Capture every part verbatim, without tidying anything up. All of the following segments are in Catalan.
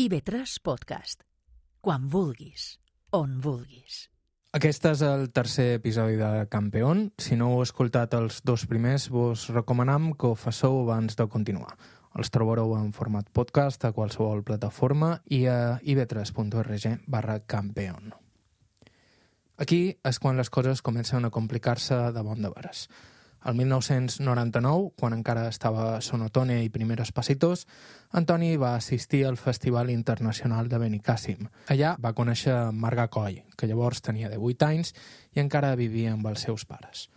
I ve tres Podcast. Quan vulguis, on vulguis. Aquest és el tercer episodi de Campeón. Si no heu escoltat els dos primers, vos recomanam que ho fasseu abans de continuar. Els trobareu en format podcast a qualsevol plataforma i a i ve tres punt org barra Campeón. Aquí és quan les coses comencen a complicar-se de bon de veres. El mil nou-cents noranta-nou, quan encara estava a Sonotone i Primeros Pasitos, Antoni va assistir al Festival Internacional de Benicàssim. Allà va conèixer Marga Coll, que llavors tenia divuit anys i encara vivia amb els seus pares.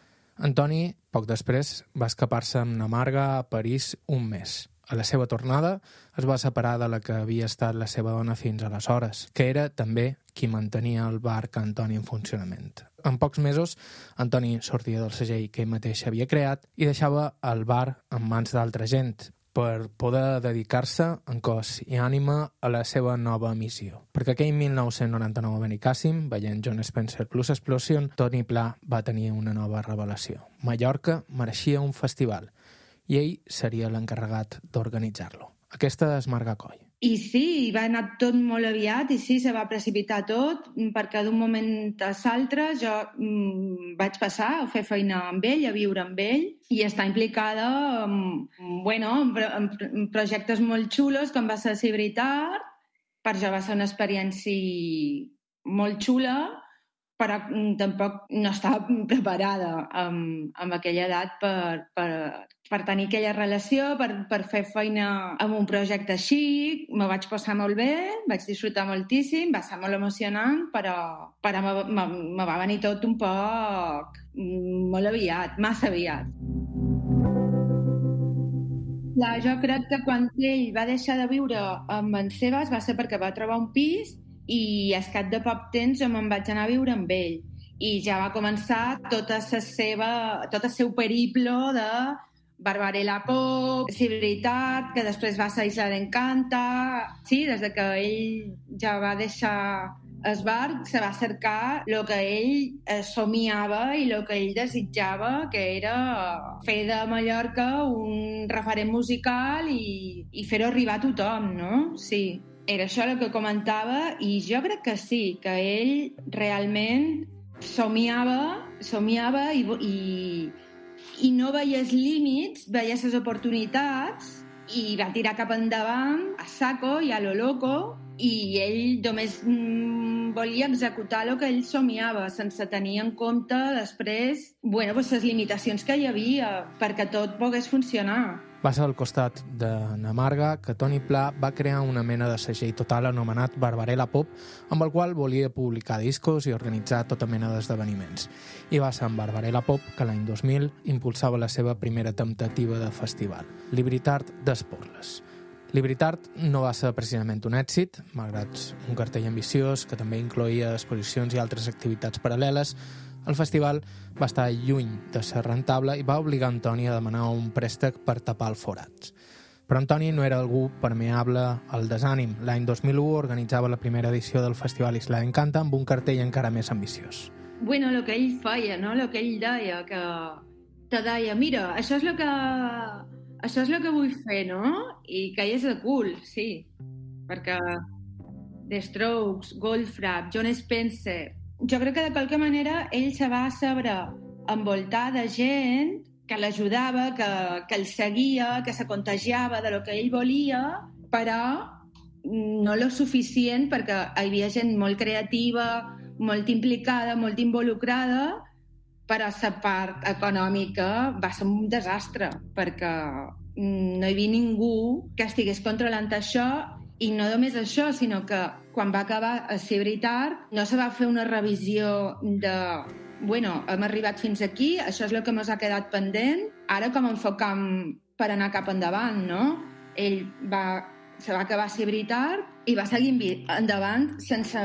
Antoni, poc després, va escapar-se amb na Marga a París un mes. A la seva tornada es va separar de la que havia estat la seva dona fins aleshores, que era també qui mantenia el bar que Antoni en funcionament. En pocs mesos, Antoni sortia del segell que ell mateix havia creat i deixava el bar en mans d'altra gent per poder dedicar-se en cos i ànima a la seva nova missió. Perquè aquell mil nou-cents noranta-nou a Benicàssim, veient Jon Spencer plus Explosion, Toni Pla va tenir una nova revelació. Mallorca mereixia un festival i ell seria l'encarregat d'organitzar-lo. Aquesta és Marga Coll. I sí, va anar tot molt aviat i sí, se va precipitar tot perquè d'un moment a l'altre jo mm, vaig passar a fer feina amb ell, a viure amb ell i estar implicada en, bueno, en, en projectes molt xulos com va ser Cibritar. Per jo va ser una experiència molt xula, però tampoc no estava preparada amb, amb aquella edat per, per, per tenir aquella relació, per, per fer feina amb un projecte així. Me vaig passar molt bé, vaig disfrutar moltíssim, va ser molt emocionant, però, però me, me, me va venir tot un poc molt aviat, massa aviat. Clar, jo crec que quan ell va deixar de viure amb en Sebas va ser perquè va trobar un pis i al cap de poc temps jo me'n vaig anar a viure amb ell i ja va començar tota la seva, tot el seu periplo de Barbarella Pop, Cibritat, que després va ser Isla d'Encanta. Sí, des que ell ja va deixar el bar, se va cercar el que ell somiava i el que ell desitjava, que era fer de Mallorca un referent musical i, i fer-ho arribar a tothom, no? Sí. Era això el que comentava i jo crec que sí, que ell realment somiava, somiava i, i, i no veia els límits, veia les oportunitats i va tirar cap endavant a saco i a lo loco i ell només mm, volia executar el que ell somiava sense tenir en compte després bueno, pues, les limitacions que hi havia perquè tot pogués funcionar. Va ser al costat de na Marga que Toni Pla va crear una mena de segell total anomenat Barbarella Pop, amb el qual volia publicar discos i organitzar tota mena d'esdeveniments. I va ser amb Barbarella Pop que l'any dos mil impulsava la seva primera temptativa de festival, Libertart d'Esporles. Libertart no va ser precisament un èxit, malgrat un cartell ambiciós que també incloïa exposicions i altres activitats paral·leles. El festival va estar lluny de ser rentable i va obligar Antoni a demanar un préstec per tapar el forat. Però Antoni no era algú permeable al desànim. L'any dos mil u organitzava la primera edició del Festival Isla d'Encanta amb un cartell encara més ambiciós. Bueno, el que ell feia, no? El que ell deia, que te deia, mira, això és el que, això és el que vull fer, no? I que és de cul, sí. Perquè The Strokes, Goldfrapp, Jon Spencer... Jo crec que de qualque manera ell se va saber envoltar de gent que l'ajudava, que, que el seguia, que se contagiava de lo que ell volia, però no lo suficient perquè hi havia gent molt creativa, molt implicada, molt involucrada, però la part econòmica va ser un desastre perquè no hi havia ningú que estigués controlant això. I no només això, sinó que quan va acabar a Cibritar no se va fer una revisió de bueno, hem arribat fins aquí, això és el que ens ha quedat pendent, ara com enfocam per anar cap endavant, no? Ell va, se va acabar Cibritar i va seguir endavant sense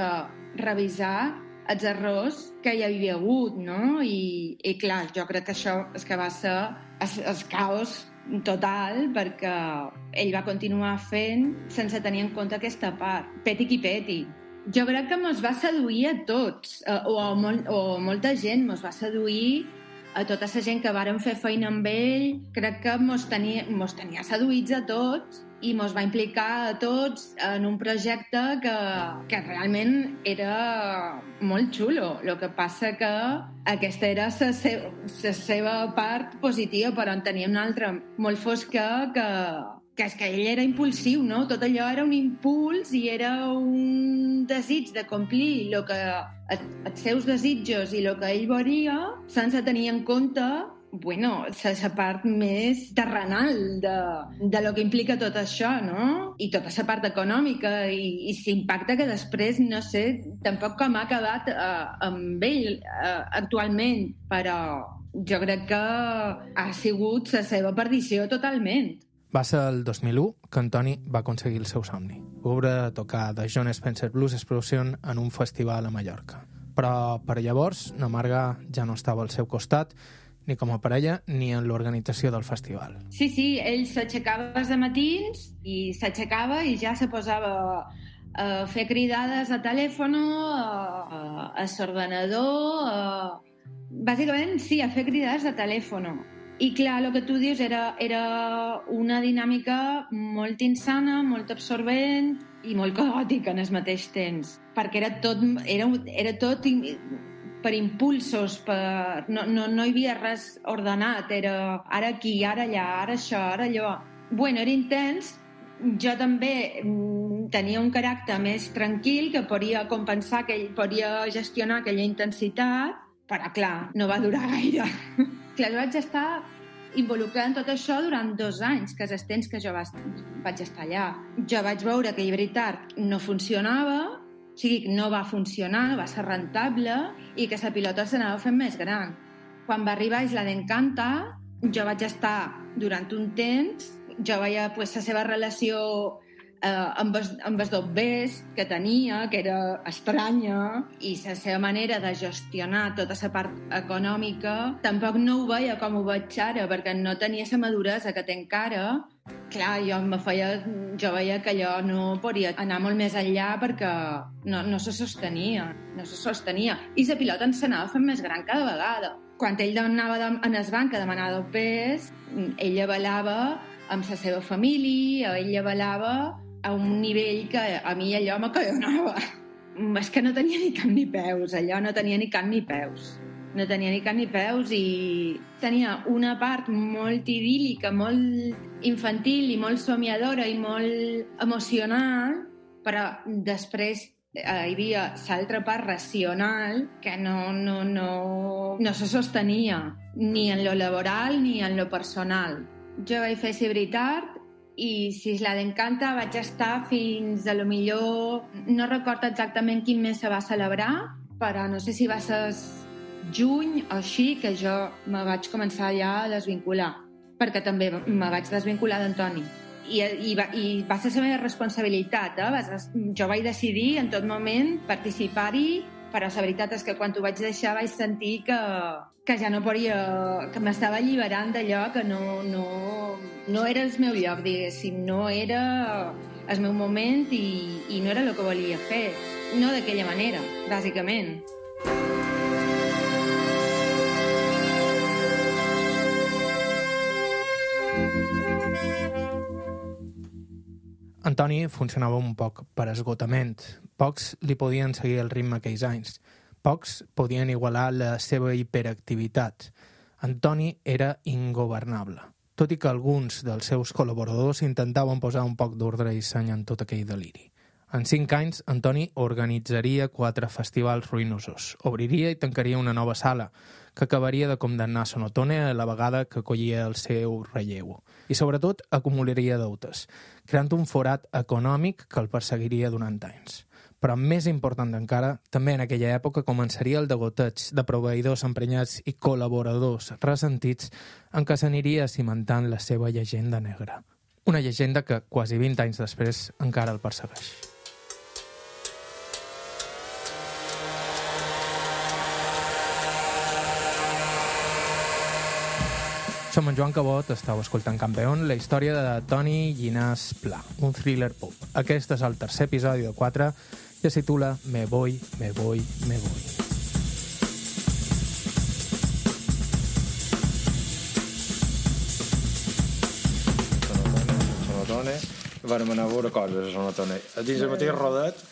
revisar els errors que hi havia hagut, no? I, i clar, jo crec que això és que va ser el, el caos total perquè ell va continuar fent sense tenir en compte aquesta part. Peti qui peti. Jo crec que mos va seduir a tots, o, a molt, o molta gent mos va seduir, a tota la gent que vàrem fer feina amb ell. Crec que mos tenia, mos tenia seduïts a tots i mos va implicar a tots en un projecte que, que realment era molt xulo. El que passa que aquesta era la se- se seva part positiva, però en tenia una altra molt fosca que, que és que ell era impulsiu, no? Tot allò era un impuls i era un desig de complir el que, els seus desitjos i el que ell volia sense tenir en compte bueno, la part més terrenal de, de lo que implica tot això, no? I tota la part econòmica i, i l'impacte que després, no sé, tampoc com ha acabat eh, amb ell eh, actualment, però jo crec que ha sigut la seva perdició totalment. Va ser el dos mil u que Antoni va aconseguir el seu somni, veure tocar The John Spencer Blues Explosion en un festival a Mallorca. Però per llavors, na Marga ja no estava al seu costat, ni com a parella, ni en l'organització del festival. Sí, sí, ell s'aixecava els matins i s'aixecava i ja se posava a fer cridades a telèfon, a, a l'ordenador, a... bàsicament, sí, a fer cridades a telèfon. I clar, el que tu dius era, era una dinàmica molt insana, molt absorbent i molt caòtica en el mateix temps, perquè era tot, era, era tot per impulsos, per... No, no, no hi havia res ordenat, era ara aquí, ara allà, ara això, ara allò. Bueno, era intens. Jo també tenia un caràcter més tranquil que podia compensar, que ell podia gestionar aquella intensitat, però clar, no va durar gaire. Clar, jo vaig estar involucrada en tot això durant dos anys, que és el temps que jo vaig estar allà. Jo vaig veure que Llibertat no funcionava, o sigui, no va funcionar, no va ser rentable i que la pilota s'anava fent més gran. Quan va arribar Isla d'Encanta, jo vaig estar durant un temps, jo veia pues, la seva relació eh, amb, els, amb els dobbers que tenia, que era estranya, i la seva manera de gestionar tota la part econòmica, tampoc no ho veia com ho veig ara, perquè no tenia la maduresa que té encara. Clar, jo, me feia, jo veia que allò no podia anar molt més enllà perquè no, no se sostenia, no se sostenia. I la pilota ens s'anava fent més gran cada vegada. Quan ell anava en el banc a demanar dopers, ella balava amb la seva família, ella balava a un nivell que a mi allò m'acollonava. És que no tenia ni cap ni peus, allò no tenia ni cap ni peus. No tenia ni cap ni peus i tenia una part molt idíl·lica, molt infantil i molt somiadora i molt emocional, però després eh, hi havia l'altra part racional que no, no, no, no se sostenia ni en lo laboral ni en lo personal. Jo vaig fer Llibertat i si Isla d'Encanta vaig estar fins a lo millor... No recordo exactament quin mes se va celebrar, però no sé si va ser juny o així que jo me vaig començar ja a desvincular, perquè també me vaig desvincular d'Antoni. I, i, va, I va ser la meva responsabilitat. Eh? Jo vaig decidir en tot moment participar-hi, però la veritat és que quan ho vaig deixar vaig sentir que, que ja no podia, que m'estava alliberant d'allò que no, no, no era el meu lloc, diguéssim, no era el meu moment i, i no era el que volia fer. No d'aquella manera, bàsicament. Antoni funcionava un poc per esgotament. Pocs li podien seguir el ritme aquells anys. Pocs podien igualar la seva hiperactivitat. Antoni era ingovernable, tot i que alguns dels seus col·laboradors intentaven posar un poc d'ordre i seny en tot aquell deliri. En cinc anys, Antoni organitzaria quatre festivals ruïnosos, obriria i tancaria una nova sala, que acabaria de condemnar Sonotone a la vegada que acollia el seu relleu. I, sobretot, acumularia deutes, creant un forat econòmic que el perseguiria durant anys. Però més important encara, també en aquella època començaria el degoteig de proveïdors emprenyats i col·laboradors ressentits en què s'aniria cimentant la seva llegenda negra. Una llegenda que, quasi vint anys després, encara el persegueix. Som en Joan Cabot, estàu escoltant Campeón, la història de Toni Llinàs Pla, un thriller pop. Aquest és el tercer episodi de quatre i es titula Me voy, me voy, me voy. Sonotone, vam anar a veure coses a Sonatone. A dins del mateix rodet,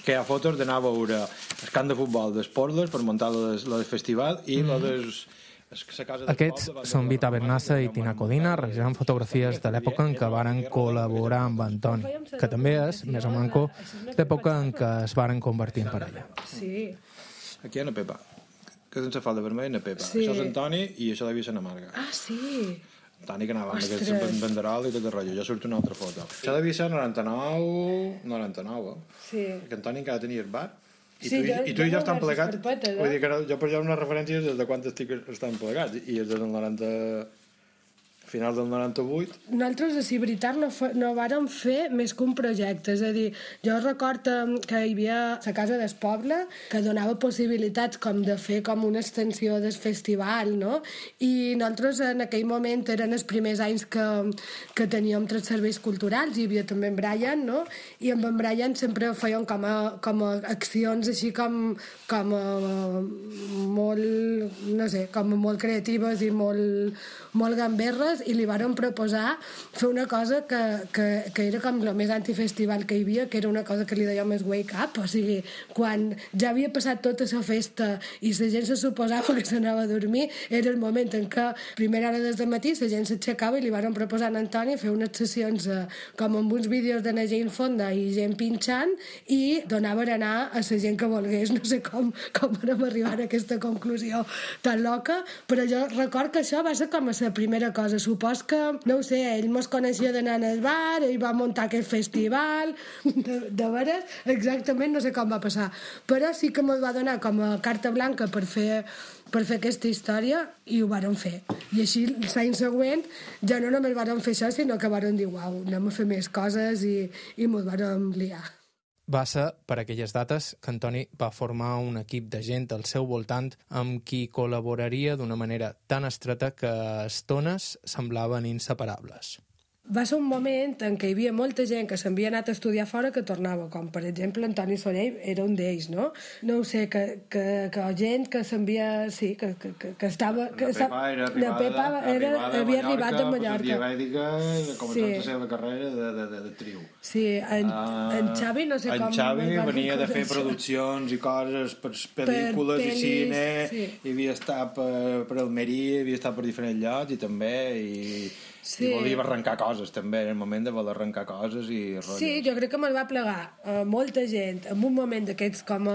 que hi ha fotos d'anar a veure el camp de futbol d'Esporles per muntar lo del festival i mm. lo des... Aquests són Vita Bernassa i Tina Codina, realitzant fotografies de l'època en què varen col·laborar amb Antoni, que també és, més o manco, l'època en què es varen convertir en parella. Sí. Aquí hi ha una Pepa, que sense falda vermella una Pepa. Sí. Això és Antoni i això devia ser una Marga. Ah, sí? Antoni que anava amb aquest banderol i tot el rotllo. Jo surto una altra foto. Això devia ser noranta-nou... noranta-nou, eh? Sí. Que Antoni encara tenia el bar. I, sí, tu, jo, i tu i jo estan plegats, eh? Vull dir que no, jo per allà unes referències des de quan estic estan plegats, i és des del noranta... final del noranta-vuit. Nosaltres, a si veritat, no, fa, no vàrem fer més que un projecte. És a dir, jo recordo que hi havia la Casa del Poble, que donava possibilitats com de fer com una extensió del festival, no? I nosaltres en aquell moment eren els primers anys que, que teníem tres serveis culturals, hi havia també en Brian, no? I amb en Brian sempre feien com a, com a accions així com, com a molt, no sé, com a molt creatives i molt, molt gamberres, i li varen proposar fer una cosa que, que, que era com el més antifestival que hi havia, que era una cosa que li dèiem més wake up, o sigui, quan ja havia passat tota la festa i la gent se suposava que s'anava a dormir, era el moment en què a primera hora des de matí la gent s'aixecava i li varen proposar a Antoni fer unes sessions eh, com amb uns vídeos de la gent fonda i gent pinxant, i donaven a anar a la gent que volgués. No sé com, com vam arribar a aquesta conclusió tan loca, però jo record que això va ser com a la primera cosa. Supos que, no ho sé, ell mos coneixia d'anar al bar, ell va muntar aquest festival, de, de veres, exactament no sé com va passar, però sí que mos va donar com a carta blanca per fer, per fer aquesta història, i ho vàrem fer. I així, l'any següent, ja no només vàrem fer això, sinó que vàrem dir, uau, anem a fer més coses, i, i mos vàrem liar. Va ser per aquelles dates que Antoni va formar un equip de gent al seu voltant amb qui col·laboraria d'una manera tan estreta que a estones semblaven inseparables. Va ser un moment en què hi havia molta gent que s'havia anat a estudiar fora que tornava, com per exemple Antoni Soler era un d'ells, no? No ho sé, que, que, que gent que s'envia... Sí, que, que, que, que estava... Que la Pepa era arribada, la Pepa era, arribada havia de arribat de Mallorca. Diabètica, començant sí. la seva carrera de, de, de, de trio. Sí, en, uh, en Xavi no sé en com... En Xavi venia de fer produccions i coses per pel·lícules per i cine, sí. I havia estat per, per Almeria, havia estat per diferents llocs i també... I... Sí. I volia arrencar coses també, en el moment de voler arrencar coses i rotllos. Sí, jo crec que me'l va plegar uh, molta gent en un moment d'aquests com a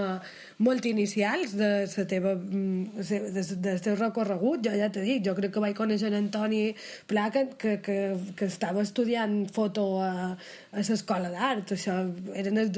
molt inicials de la teva de, del teu recorregut. Jo ja t'he dit, jo crec que vaig conèixer en Antoni Pla que, que, que, que estava estudiant foto a, a l'escola d'art. Això eren el,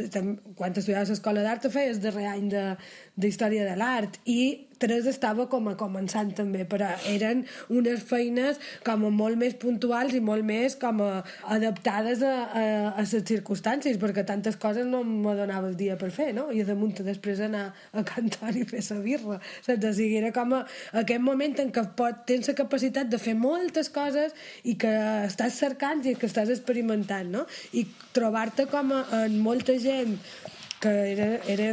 quan estudiaves a l'escola d'art feies el darrer any de, de història de l'art, i Teresa estava com a començant també, però eren unes feines com a molt més puntuals i molt més com a adaptades a, a, a les circumstàncies, perquè tantes coses no me donava el dia per fer, no? I de munt després anar a cantar i fer la birra, saps? O sigui, era com a, aquest moment en què pot, tens la capacitat de fer moltes coses i que estàs cercant i que estàs experimentant, no? I trobar-te com a, en molta gent que era, era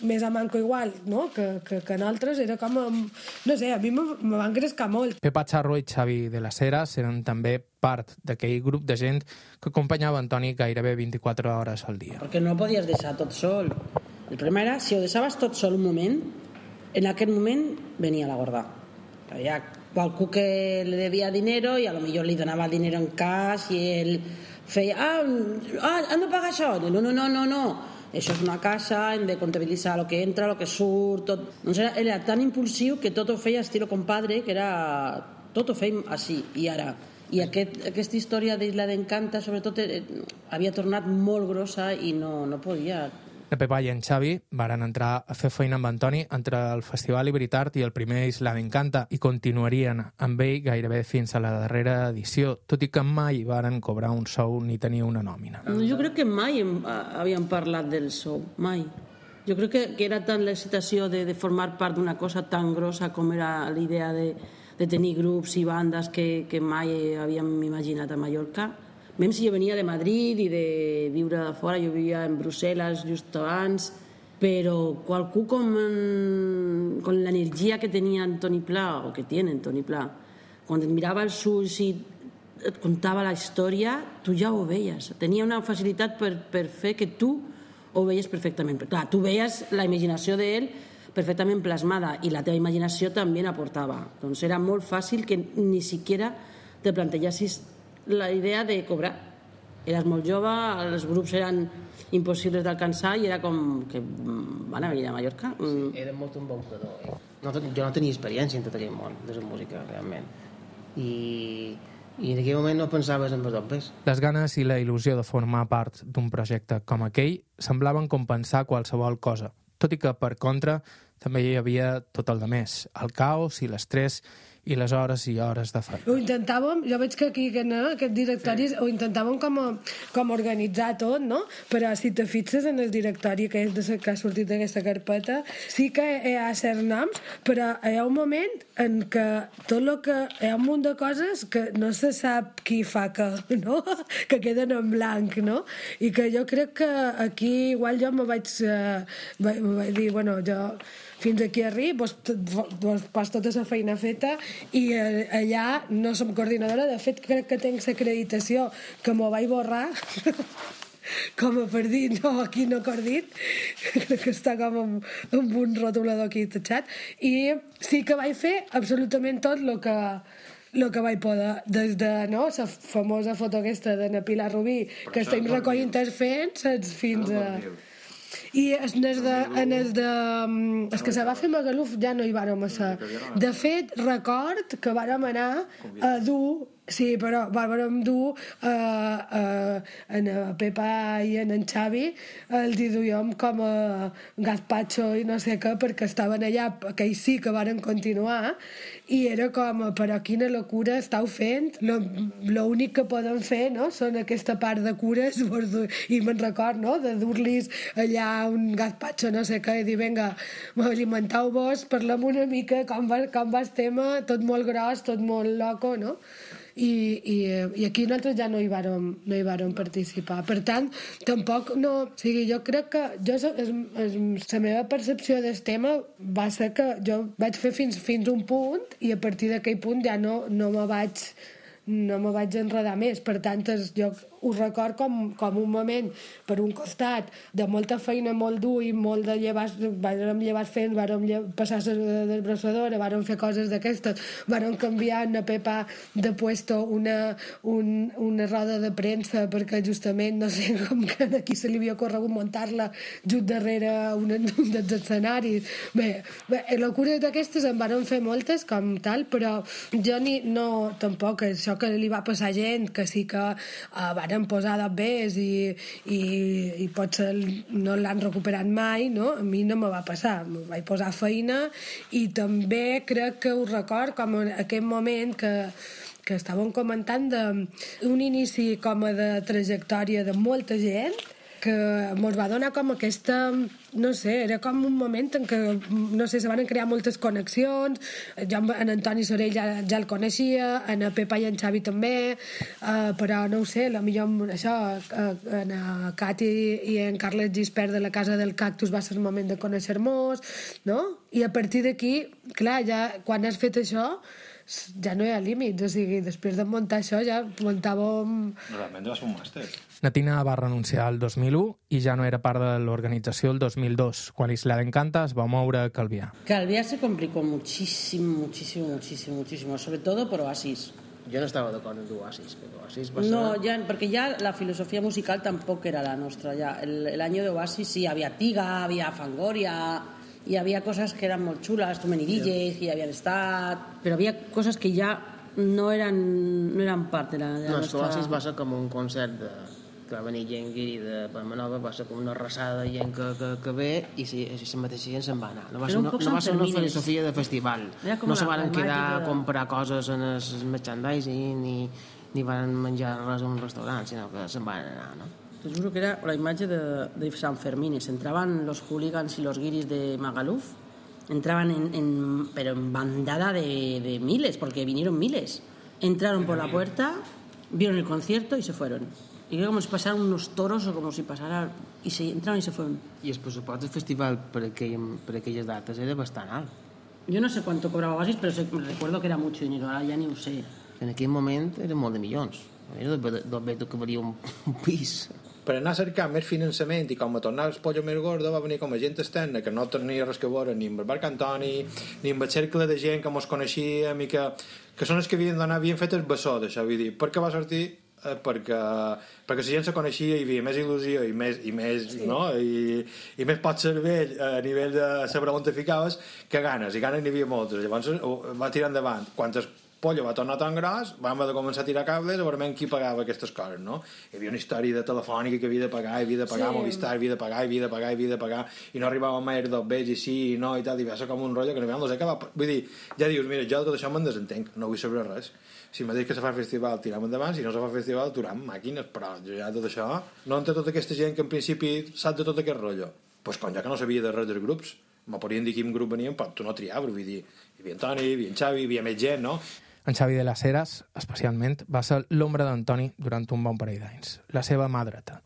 més a manco igual, no? que, que, que en altres era com a, no sé, a mi me, me van crescar molt. Pepa Charro i Xavi de las Heras eren també part d'aquell grup de gent que acompanyava Antoni gairebé vint-i-quatre hores al dia. Perquè no podies deixar tot sol. El primer era, si ho deixaves tot sol un moment, en aquest moment venia la gorda. Hi ha qualcú que li devia dinero i a lo millor li donava dinero en cash i ell feia, ah, ah han de pagar això. No, no, no, no, no. Això és una casa, hem de comptabilitzar el que entra, el que surt, tot. Doncs era, era tan impulsiu que tot ho feia estilo compadre, que era... Tot ho feim així, i ara. I aquest, aquesta història d'Isla d'Encanta, sobretot, eh, havia tornat molt grossa i no, no podia... La Pepa i en Xavi varen entrar a fer feina amb Antoni entre el Festival Ibritart i el primer Isla d'Encanta i continuarien amb ell gairebé fins a la darrera edició, tot i que mai varen cobrar un sou ni tenir una nòmina. Jo crec que mai hem, havíem parlat del sou, mai. Jo crec que, que era tant l'excitació de, de formar part d'una cosa tan grossa com era l'idea de, de tenir grups i bandes que, que mai havíem imaginat a Mallorca. Mem si jo venia de Madrid i de viure de fora, jo vivia en Brussel·les just abans, però qualcú com, com l'energia que tenia Antoni Pla, o que tiene Antoni Pla, quan et mirava els ulls i et contava la història, tu ja ho veies. Tenia una facilitat per, per fer que tu ho veies perfectament. Però, clar, tu veies la imaginació d'ell perfectament plasmada i la teva imaginació també n'aportava. Doncs era molt fàcil que ni siquiera te plantegessis la idea de cobrar. Eres molt jove, els grups eren impossibles d'alcançar i era com que van a venir a Mallorca. Sí, era molt un bon predó. Eh? No, jo no tenia experiència en tot aquell món de la música, realment. I, i en aquell moment no pensaves en els dobles. Les ganes i la il·lusió de formar part d'un projecte com aquell semblaven compensar qualsevol cosa, tot i que, per contra, també hi havia tot el de més, el caos i l'estrès i les hores i hores de feina. Ho intentàvem, jo veig que aquí no, aquest directori sí. Ho intentàvem com a, com a organitzar tot, no? Però si te fixes en el directori que, és de, que ha sortit d'aquesta carpeta, sí que hi ha certs noms, però hi ha un moment en què tot el que... Hi ha un munt de coses que no se sap qui fa que, no? Que queden en blanc, no? I que jo crec que aquí igual jo me vaig, eh, vaig dir, bueno, jo fins aquí arribo, doncs pas tota la feina feta i allà no som coordinadora. De fet, crec que tenc l'acreditació que m'ho vaig borrar com a per dir, no, aquí no coordit, crec que està com amb, amb un rotulador aquí tatxat, i sí que vaig fer absolutament tot el que el que vaig poder, des de no, la famosa foto aquesta de na Pilar Rubí, que estem recollint els fets, fins a... I en el de, en el de... El que se va fer a Magaluf ja no hi vàrem ser. De fet, record que vàrem anar a dur... Sí, però vàrem dur uh, uh, en Pepa i en en Xavi els hi duíem com a gazpacho i no sé què, perquè estaven allà, que ells sí que varen continuar, i era com, però quina locura estàu fent, l'únic que poden fer, no?, són aquesta part de cures, i me'n record, no?, de dur-los allà un gazpacho, no sé què, i dir, vinga, alimenteu-vos, parlem una mica com va, com va el tema, tot molt gros, tot molt loco, no?, I, i, i aquí nosaltres ja no hi vàrem, no hi vàrem participar. Per tant, tampoc no... O sigui, jo crec que jo, es, es, la meva percepció del tema va ser que jo vaig fer fins, fins un punt i a partir d'aquell punt ja no, no me vaig no me vaig enredar més. Per tant, jo ho record com, com un moment, per un costat, de molta feina, molt dur i molt de llevar, vàrem llevar fent, vàrem passar la desbrossadora, vàrem fer coses d'aquestes, vàrem canviar una Pepa de puesto una, un, una roda de premsa perquè justament, no sé, com que aquí se li havia corregut muntar-la just darrere un, un dels escenaris. Bé, bé, locures d'aquestes en vàrem fer moltes com tal, però jo ni, no, tampoc, això que li va passar gent, que sí que uh, varen posar d'obès i, i, i potser no l'han recuperat mai, no? A mi no me va passar, me vaig posar feina i també crec que ho record com en aquest moment que que estàvem comentant d'un inici com a de trajectòria de molta gent que ens va donar com aquesta, no sé, era com un moment en què, no sé, se van crear moltes connexions. Jo en Antoni Sorell ja, ja el coneixia, en Pepa i en Xavi també, uh, però no ho sé, potser això, uh, en Cati i en Carles Gispert de la Casa del Cactus va ser el moment de conèixer-nos, no? I a partir d'aquí, clar, ja quan has fet això ja no hi ha límits, o sigui, després de muntar això ja muntàvem... Realment va ser un màster. Natina va renunciar el dos mil u i ja no era part de l'organització el dos mil dos, quan Isla d'Encanta es va moure a Calvià. Calvià se complicó muchísimo, muchísimo, muchísimo, muchísimo, sobre todo por Oasis. Jo no estava d'acord amb Oasis, però Oasis va ser... No, ja, perquè ja la filosofia musical tampoc era la nostra. Ja. El, el año de Oasis sí, havia Tiga, havia Fangoria... Hi havia coses que eren molt xules, Too Many D Js, que hi havien estat, però havia coses que ja no eren, no eren part de la, de la no, nostra... No, Oasis va ser com un concert de, que va venir gent guiri de Palma Nova, va ser com una arrasada de gent que, que, que ve i si, si la mateixa gent se'n va anar. No va ser, no, no va ser una filosofia de festival. No se van quedar a comprar coses en el merchandising ni, ni van menjar res a un restaurant, sinó que se'n van anar, no? Te juro que era la imatge de, de San Fermín. Entraban los hooligans y los guiris de Magaluf, entraban en, en, pero en bandada de, de miles, porque vinieron miles. Entraron por la puerta, vieron el concierto y se fueron. Y creo como si pasaran unos toros o como si pasara... Y se entraron y se fueron. I el pressupost del festival per, aquell, per aquelles dates era bastant alt. Yo no sé cuánto cobraba Oasis, pero se, me recuerdo que era mucho dinero, ahora ya ni lo sé. en aquell moment eren molt de milions. Era dos vetos que valia un, un pis. Per anar a cercar més finançament i com a tornar el pollo més gordo va venir com a gent externa que no tenia res que veure ni amb el Marc Antoni ni amb el cercle de gent que mos coneixíem i que, que són els que havien d'anar, havien fet el bessó d'això, vull dir, perquè va sortir eh, perquè, perquè la gent se coneixia i hi havia més il·lusió i més, i més, sí. no? I, i més pot cervell a nivell de saber on te ficaves que ganes, i ganes n'hi havia moltes, llavors va tirar endavant. Quantes pollo va tornar tan gros, vam haver de començar a tirar cables a veure qui pagava aquestes coses, no? Hi havia una història de telefònica que havia de pagar, havia de pagar, sí. Movistar havia de pagar, havia de pagar, havia de pagar, i no arribava mai dos vells i sí i no i tal, i va ser com un rotllo que no sé què va... Vull dir, ja dius, mira, jo tot això me'n desentenc, no vull saber res. Si m'ha dit que se fa festival, tiram endavant, si no se fa festival, aturam màquines, però jo ja tot això... No entre tota aquesta gent que en principi sap de tot aquest rotllo. Doncs pues, com ja que no sabia de res dels grups, me podien dir quin grup venien, però tu no triaves, vull dir, hi havia en Toni, hi havia en Xavi, hi havia més gent, no? En Xavi de les Heras, especialment, va ser l'ombra d'Antoni durant un bon parell d'anys, la seva mà dreta.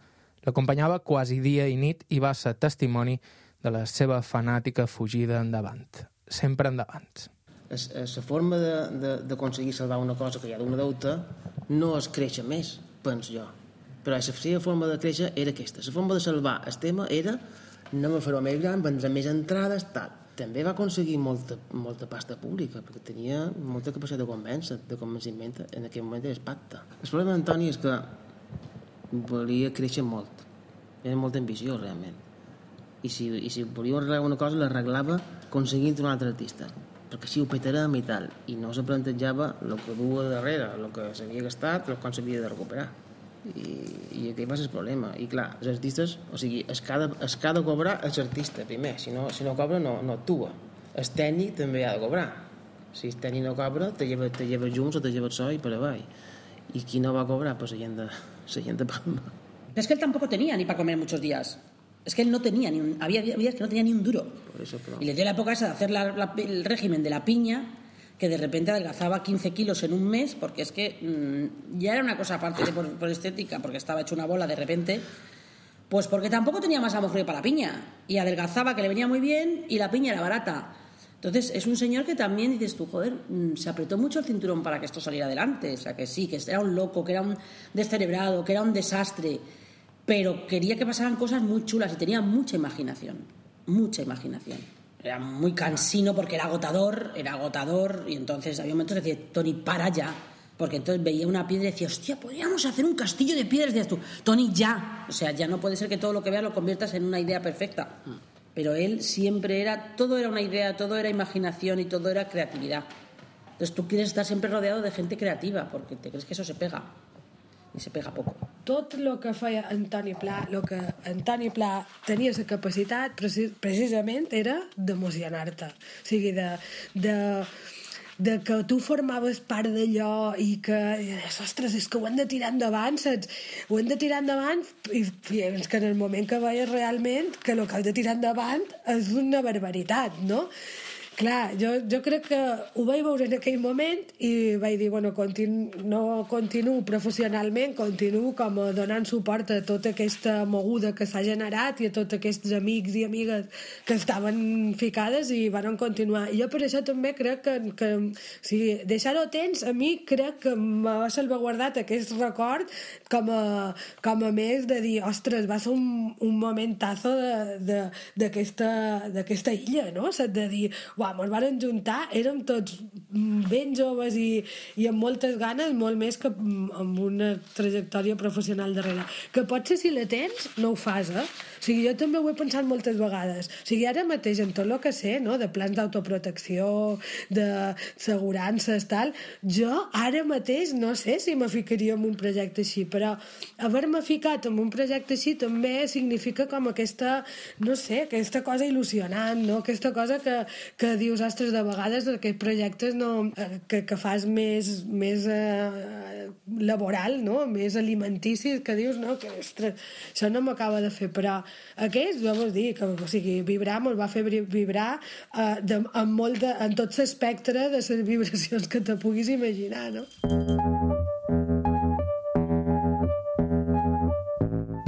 L'acompanyava quasi dia i nit i va ser testimoni de la seva fanàtica fugida endavant. Sempre endavant. La forma d'aconseguir salvar una cosa que hi ha d'una deuta no és créixer més, penso jo. Però la seva forma de créixer era aquesta. La forma de salvar el tema era anem a fer-ho més gran, vendre més entrades, tal. També va aconseguir molta, molta pasta pública, perquè tenia molta capacitat de convèncer, de convenciment, en aquell moment era pacte. El problema d'Antoni és que volia créixer molt, era molt ambiciós realment, i si, i si volia arreglar una cosa l'arreglava aconseguint un altre artista, perquè així ho petarem i tal, i no se plantejava el que duia darrere, el que s'havia gastat, el com s'havia de recuperar. I, i aquest va ser el problema. I clar, els artistes, o sigui, es que ha de, es que ha de cobrar és artista primer, si no, si no cobra no, no actua. El tècnic també ha de cobrar, si el tècnic no cobra te lleva, te lleva junts o te lleva el so i per avall, i qui no va cobrar pues la gent de, la gent de Palma. Es que él tampoco tenía ni para comer muchos días. Es que él no tenía ni un, había días que no tenía ni un duro. Por eso, pero... Y le dio la época esa de hacer la, la, el régimen de la piña, que de repente adelgazaba quince kilos en un mes, porque es que mmm, ya era una cosa aparte de por, por estética, porque estaba hecho una bola de repente, pues porque tampoco tenía masa muscular para la piña, y adelgazaba, que le venía muy bien, y la piña era barata. Entonces es un señor que también dices tú, joder, mmm, se apretó mucho el cinturón para que esto saliera adelante, o sea que sí, que era un loco, que era un descerebrado, que era un desastre, pero quería que pasaran cosas muy chulas y tenía mucha imaginación, mucha imaginación. Era muy cansino porque era agotador, era agotador, y entonces había momentos que decía, Toni, para ya, porque entonces veía una piedra y decía, hostia, podríamos hacer un castillo de piedras, decías tú, Toni, ya, o sea, ya no puede ser que todo lo que veas lo conviertas en una idea perfecta, pero él siempre era, todo era una idea, todo era imaginación y todo era creatividad. Entonces tú quieres estar siempre rodeado de gente creativa, porque te crees que eso se pega, i se pega poc. Tot el que feia Antoni Pla, el que Antoni Pla tenia la capacitat precisament era d'emocionar-te, o sigui, de, de, de que tu formaves part d'allò i que, ostres, és que ho hem de tirar endavant, saps? Ho hem de tirar endavant i fins que en el moment que veies realment que el que has de tirar endavant és una barbaritat, no? Clar, jo, jo crec que ho vaig veure en aquell moment i vaig dir, bueno, continu, no continuo professionalment, continuo com donant suport a tota aquesta moguda que s'ha generat i a tots aquests amics i amigues que estaven ficades i van continuar. I jo per això també crec que, que o sigui, deixar-ho tens, a mi crec que m'ha salvaguardat aquest record com a, com a més de dir, ostres, va ser un, un momentazo d'aquesta illa, no? De dir, uau, ens van juntar, érem tots ben joves i, i amb moltes ganes, molt més que amb una trajectòria professional darrere. Que potser si la tens, no ho fas, eh? O sigui, jo també ho he pensat moltes vegades. O sigui, ara mateix, en tot el que sé, no?, de plans d'autoprotecció, de segurances, tal, jo ara mateix no sé si me ficaria en un projecte així, però haver-me ficat en un projecte així també significa com aquesta, no sé, aquesta cosa il·lusionant, no?, aquesta cosa que, que dius, ostres, de vegades aquests projectes no, que, que fas més, més eh, laboral, no?, més alimenticis, que dius, no, que ostres, això no m'acaba de fer, però aquest, jo vols dir, que, o sigui, vibrar me'l va fer vibrar eh, de, en, molt de, en tot l'espectre de les vibracions que te puguis imaginar, no?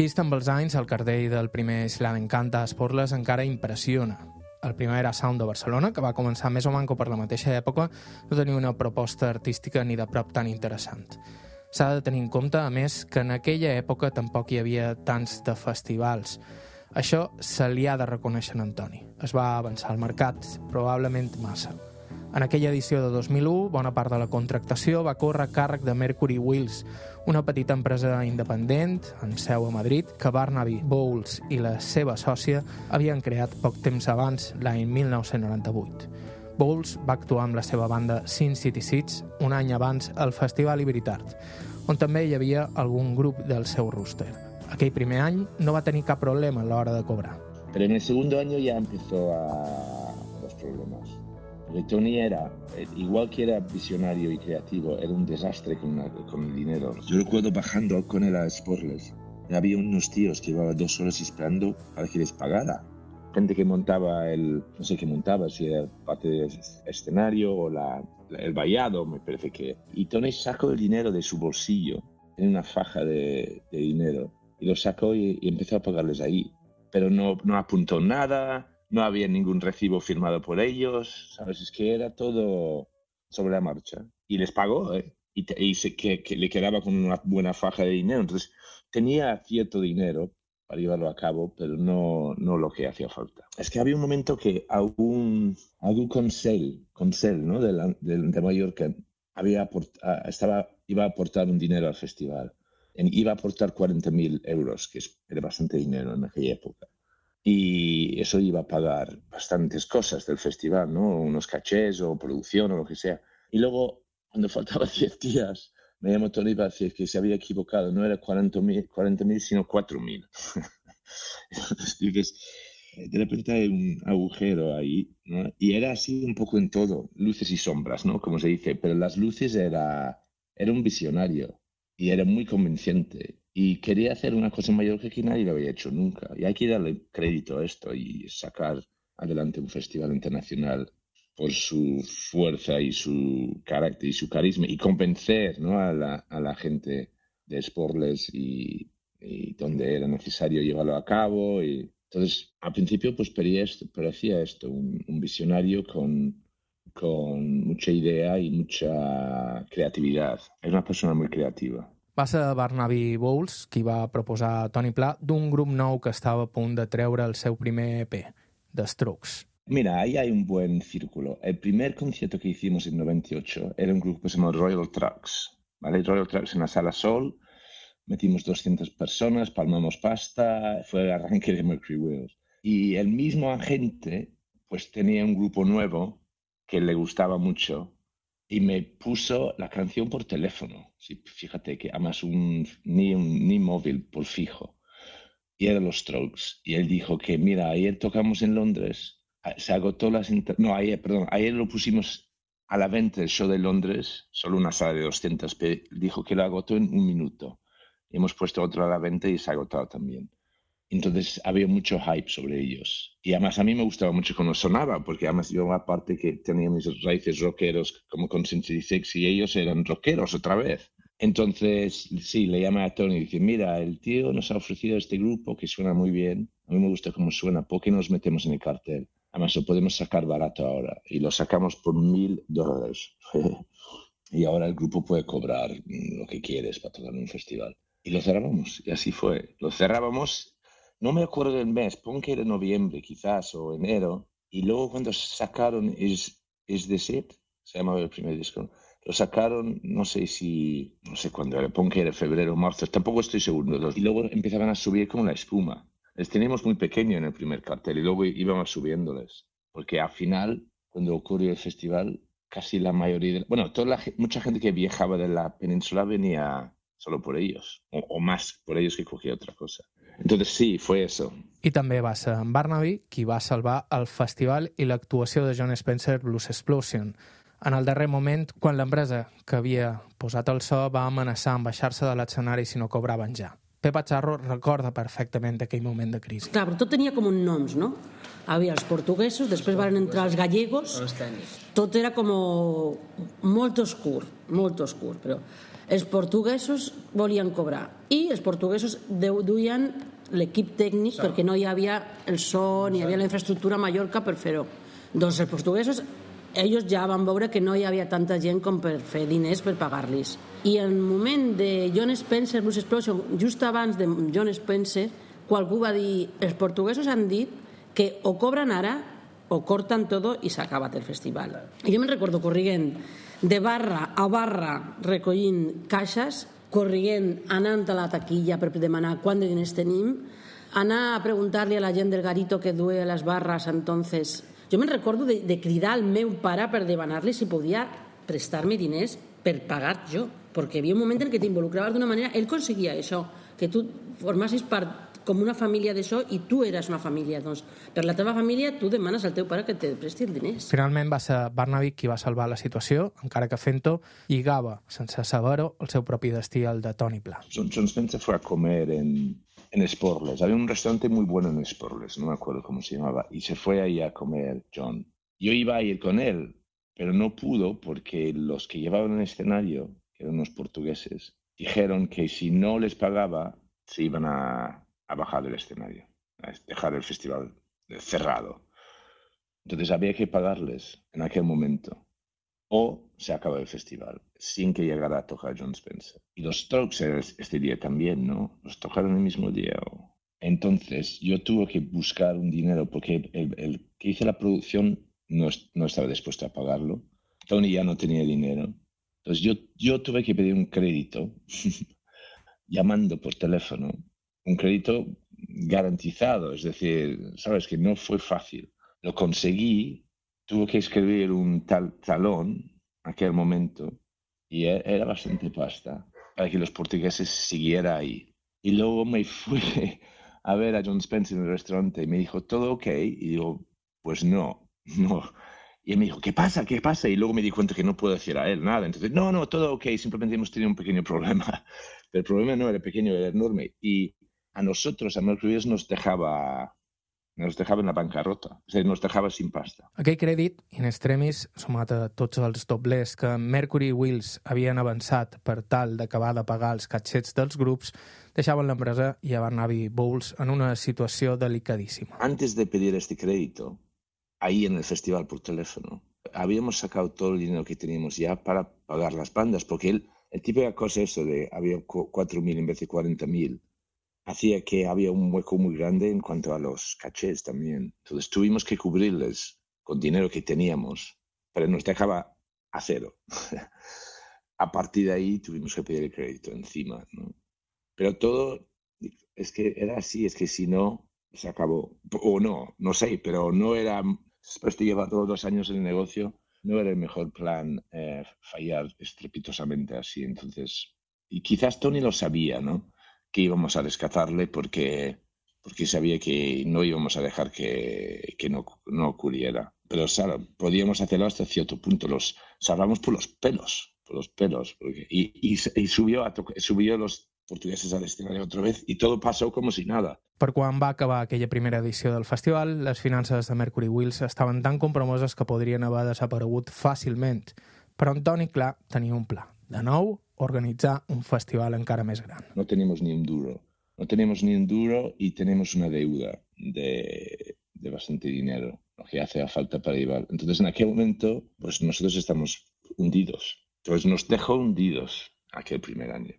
Vist amb els anys, el cardell del primer Slavencanta a Esporles encara impressiona. El primer era Sound de Barcelona, que va començar més o manco per la mateixa època, no tenia una proposta artística ni de prop tan interessant. S'ha de tenir en compte, a més, que en aquella època tampoc hi havia tants de festivals. Això se li ha de reconèixer a Antoni. Es va avançar al mercat, probablement massa. En aquella edició de dos mil u, bona part de la contractació va córrer a càrrec de Mercury Wheels, una petita empresa independent, amb seu a Madrid, que Barnaby Bowles i la seva sòcia havien creat poc temps abans, l'any mil nou-cents noranta-vuit. Bowles va actuar amb la seva banda Sin City Seeds un any abans al Festival Ibritart, on també hi havia algun grup del seu roster. Aquell primer any no va tenir cap problema a l'hora de cobrar. Pero en el segundo año ya empezó a los problemas. Porque Tony era, igual que era visionario y creativo, era un desastre con, la, con el dinero. Yo recuerdo bajando con él a Sportless. Había unos tíos que llevaban dos horas esperando para que les pagara. Gente que montaba el, no sé qué montaba, si era parte del escenario o la, el vallado, me parece que. Y Tony sacó el dinero de su bolsillo, en una faja de, de dinero, y lo sacó y, y empezó a pagarles ahí. Pero no, no apuntó nada. No había ningún recibo firmado por ellos, ¿sabes? Es que era todo sobre la marcha. Y les pagó, ¿eh? Y, te, y se, que, que le quedaba con una buena faja de dinero. Entonces, tenía cierto dinero para llevarlo a cabo, pero no, no lo que hacía falta. Es que había un momento que algún, algún consell, consell, ¿no? de, la, de, de Mallorca había aport, estaba, iba a aportar un dinero al festival. Iba a aportar cuarenta mil euros, que era bastante dinero en aquella época. Y eso iba a pagar bastantes cosas del festival, ¿no? Unos cachés o producción o lo que sea. Y luego, cuando faltaban diez días, me llamó Tony para decir que se había equivocado. No era cuarenta mil, sino cuatro mil. Entonces, de repente hay un agujero ahí, ¿no? Y era así un poco en todo, luces y sombras, ¿no? Como se dice. Pero las luces era, era un visionario y era muy convincente. Y quería hacer una cosa mayor que nadie lo había hecho nunca. Y hay que darle crédito a esto y sacar adelante un festival internacional por su fuerza y su carácter y su carisma y convencer, ¿no? a, la, a la gente de Sportless y, y donde era necesario llevarlo a cabo. Y entonces, al principio, pues parecía esto, parecía esto un, un visionario con, con mucha idea y mucha creatividad. Es una persona muy creativa. Va ser Barnaby Bowles qui va proposar a Tony Pla d'un grup nou que estava a punt de treure el seu primer E P, The Strokes. Mira, ahí hay un buen círculo. El primer concierto que hicimos en noventa y ocho era un grupo que se llamó Royal Tracks, ¿vale? Royal Tracks en la Sala Sol, metimos doscientas personas, palmamos pasta, fue el arranque de Mercury Wheels. Y el mismo agente pues tenía un grupo nuevo que le gustaba mucho y me puso la canción por teléfono. Sí, fíjate que además un, ni, un, ni móvil por fijo. Y eran los Strokes. Y él dijo que, mira, ayer tocamos en Londres, se agotó las... Inter... No, ayer, perdón, ayer lo pusimos a la venta el show de Londres, solo una sala de doscientas, pero dijo que lo agotó en un minuto. Y hemos puesto otro a la venta y se ha agotado también. Entonces había mucho hype sobre ellos. Y además a mí me gustaba mucho cómo sonaba, porque además yo aparte que tenía mis raíces rockeros como con Sin City Seeds y ellos eran rockeros otra vez. Entonces, sí, le llamé a Tony y dice, mira, el tío nos ha ofrecido este grupo que suena muy bien. A mí me gusta cómo suena, ¿por qué no nos metemos en el cartel? Además lo podemos sacar barato ahora. Y lo sacamos por mil dólares. Y ahora el grupo puede cobrar lo que quieres para tocar en un festival. Y lo cerrábamos, y así fue. Lo cerrábamos... No me acuerdo del mes, pon que era noviembre quizás o enero, y luego cuando sacaron Is, Is This It, se llamaba el primer disco, lo sacaron, no sé si, no sé cuándo era, pon que era febrero o marzo, tampoco estoy seguro, y luego empezaban a subir como la espuma. Les teníamos muy pequeño en el primer cartel y luego íbamos subiéndoles, porque al final, cuando ocurrió el festival, casi la mayoría, de, bueno, toda la, mucha gente que viajaba de la península venía solo por ellos, o, o más por ellos que cualquier otra cosa. Entonces sí, fue eso. I també va ser en Barnaby qui va salvar el festival i l'actuació de Jon Spencer Blues Explosion. En el darrer moment, quan l'empresa que havia posat el so va amenaçar amb baixar-se de l'escenari si no cobraven ja. Pepa Charro recorda perfectament aquell moment de crisi. Clar, però tot tenia com un noms, no? Havia els portuguesos, després van entrar els gallegos, tot era com molt oscur, molt oscur, però els portuguesos volien cobrar i els portuguesos duien l'equip tècnic, sí. perquè no hi havia el so ni hi havia la infraestructura a Mallorca per fer-ho. Doncs els portuguesos, ells ja van veure que no hi havia tanta gent com per fer diners per pagar-los. I en el moment de John Spencer Blues Explosion, just abans de John Spencer, qualcú va dir, els portuguesos han dit que o cobren ara o cortan todo i s'ha acabat el festival. I jo me'n recordo corrient de barra a barra recollint caixes, corrient, anant a la taquilla per demanar quant de diners tenim, anar a preguntar-li a la gent del garito que duia les barres entonces. Jo me'n recordo de, de cridar al meu pare per demanar-li si podia prestar-me diners per pagar jo, perquè hi havia un moment en què t'involucraves d'una manera, ell conseguia això, que tu formassis part com una família d'això i tu eres una família. Doncs per la teva família tu demanes al teu pare que te presti els diners. Finalment va ser Barnaby qui va salvar la situació, encara que fent-ho lligava, sense saber-ho, el seu propi destí al de Tony Pla. John, John Spencer fue a comer en, en Sporles. Había un restaurante muy bueno en Sporles, no me acuerdo cómo se llamaba, y se fue ahí a comer John. Yo iba a ir con él, pero no pudo porque los que llevaban el escenario, que eran unos portugueses, dijeron que si no les pagaba se iban a a bajar del escenario, a dejar el festival cerrado. Entonces había que pagarles en aquel momento o se acaba el festival sin que llegara a tocar John Spencer. Y los Strokes este día también, ¿no? Los tocaron el mismo día. Entonces yo tuve que buscar un dinero porque el, el que hizo la producción no, no estaba dispuesto a pagarlo. Tony ya no tenía dinero. Entonces yo, yo tuve que pedir un crédito llamando por teléfono. Un crédito garantizado, es decir, sabes que no fue fácil. Lo conseguí, tuve que escribir un tal talón en aquel momento y era bastante pasta para que los portugueses siguieran ahí. Y luego me fui a ver a John Spencer en el restaurante y me dijo, ¿todo ok? Y digo, pues no, no. Y él me dijo, ¿qué pasa? ¿Qué pasa? Y luego me di cuenta que no puedo decir a él nada. Entonces, no, no, todo ok, simplemente hemos tenido un pequeño problema. Pero el problema no era pequeño, era enorme. Y a nosotros, a Mercury Wheels, nos dejaba, nos dejava en la bancarrota, és a dir, nos dejava sin pasta. Aquell crèdit, in extremis, sumat a tots els doblers que Mercury Wheels havien avançat per tal d'acabar de pagar els catxets dels grups, deixaven l'empresa i a Barnaby Bowles en una situació delicadísima. Antes de pedir este crédito, ahí en el festival por teléfono, habíamos sacado todo el dinero que teníamos ya para pagar las bandas, porque el, el típica cosa eso de había cuatro mil en vez de cuarenta mil, hacía que había un hueco muy grande en cuanto a los cachés también. Entonces tuvimos que cubrirles con dinero que teníamos, pero nos dejaba a cero. A partir de ahí tuvimos que pedir el crédito encima, ¿no? Pero todo, es que era así, es que si no, se acabó. O no, no sé, pero no era, después de llevar todos los años en el negocio, no era el mejor plan eh, fallar estrepitosamente así. Entonces, y quizás Tony lo sabía, ¿no? Que íbamos a rescatarle porque, porque sabía que no íbamos a dejar que, que no, no ocurriera. Pero claro, podíamos hacerlo hasta cierto punto. Los salvamos por los pelos, por los pelos. Porque, y, y, y subió, a subió los portugueses al escenario otra vez y todo pasó como si nada. Per quan va acabar aquella primera edició del festival, les finances de Mercury Wheels estaven tan compromoses que podrien haver desaparegut fàcilment. Però en Tony, clar, tenia un pla. De nou, organitzar un festival encara més gran. No tenemos ni un duro. No tenemos ni un duro y tenemos una deuda de, de bastante dinero, lo que hace falta para llevar. Entonces, en aquel momento, pues nosotros estamos hundidos. Entonces, nos dejó hundidos aquel primer año.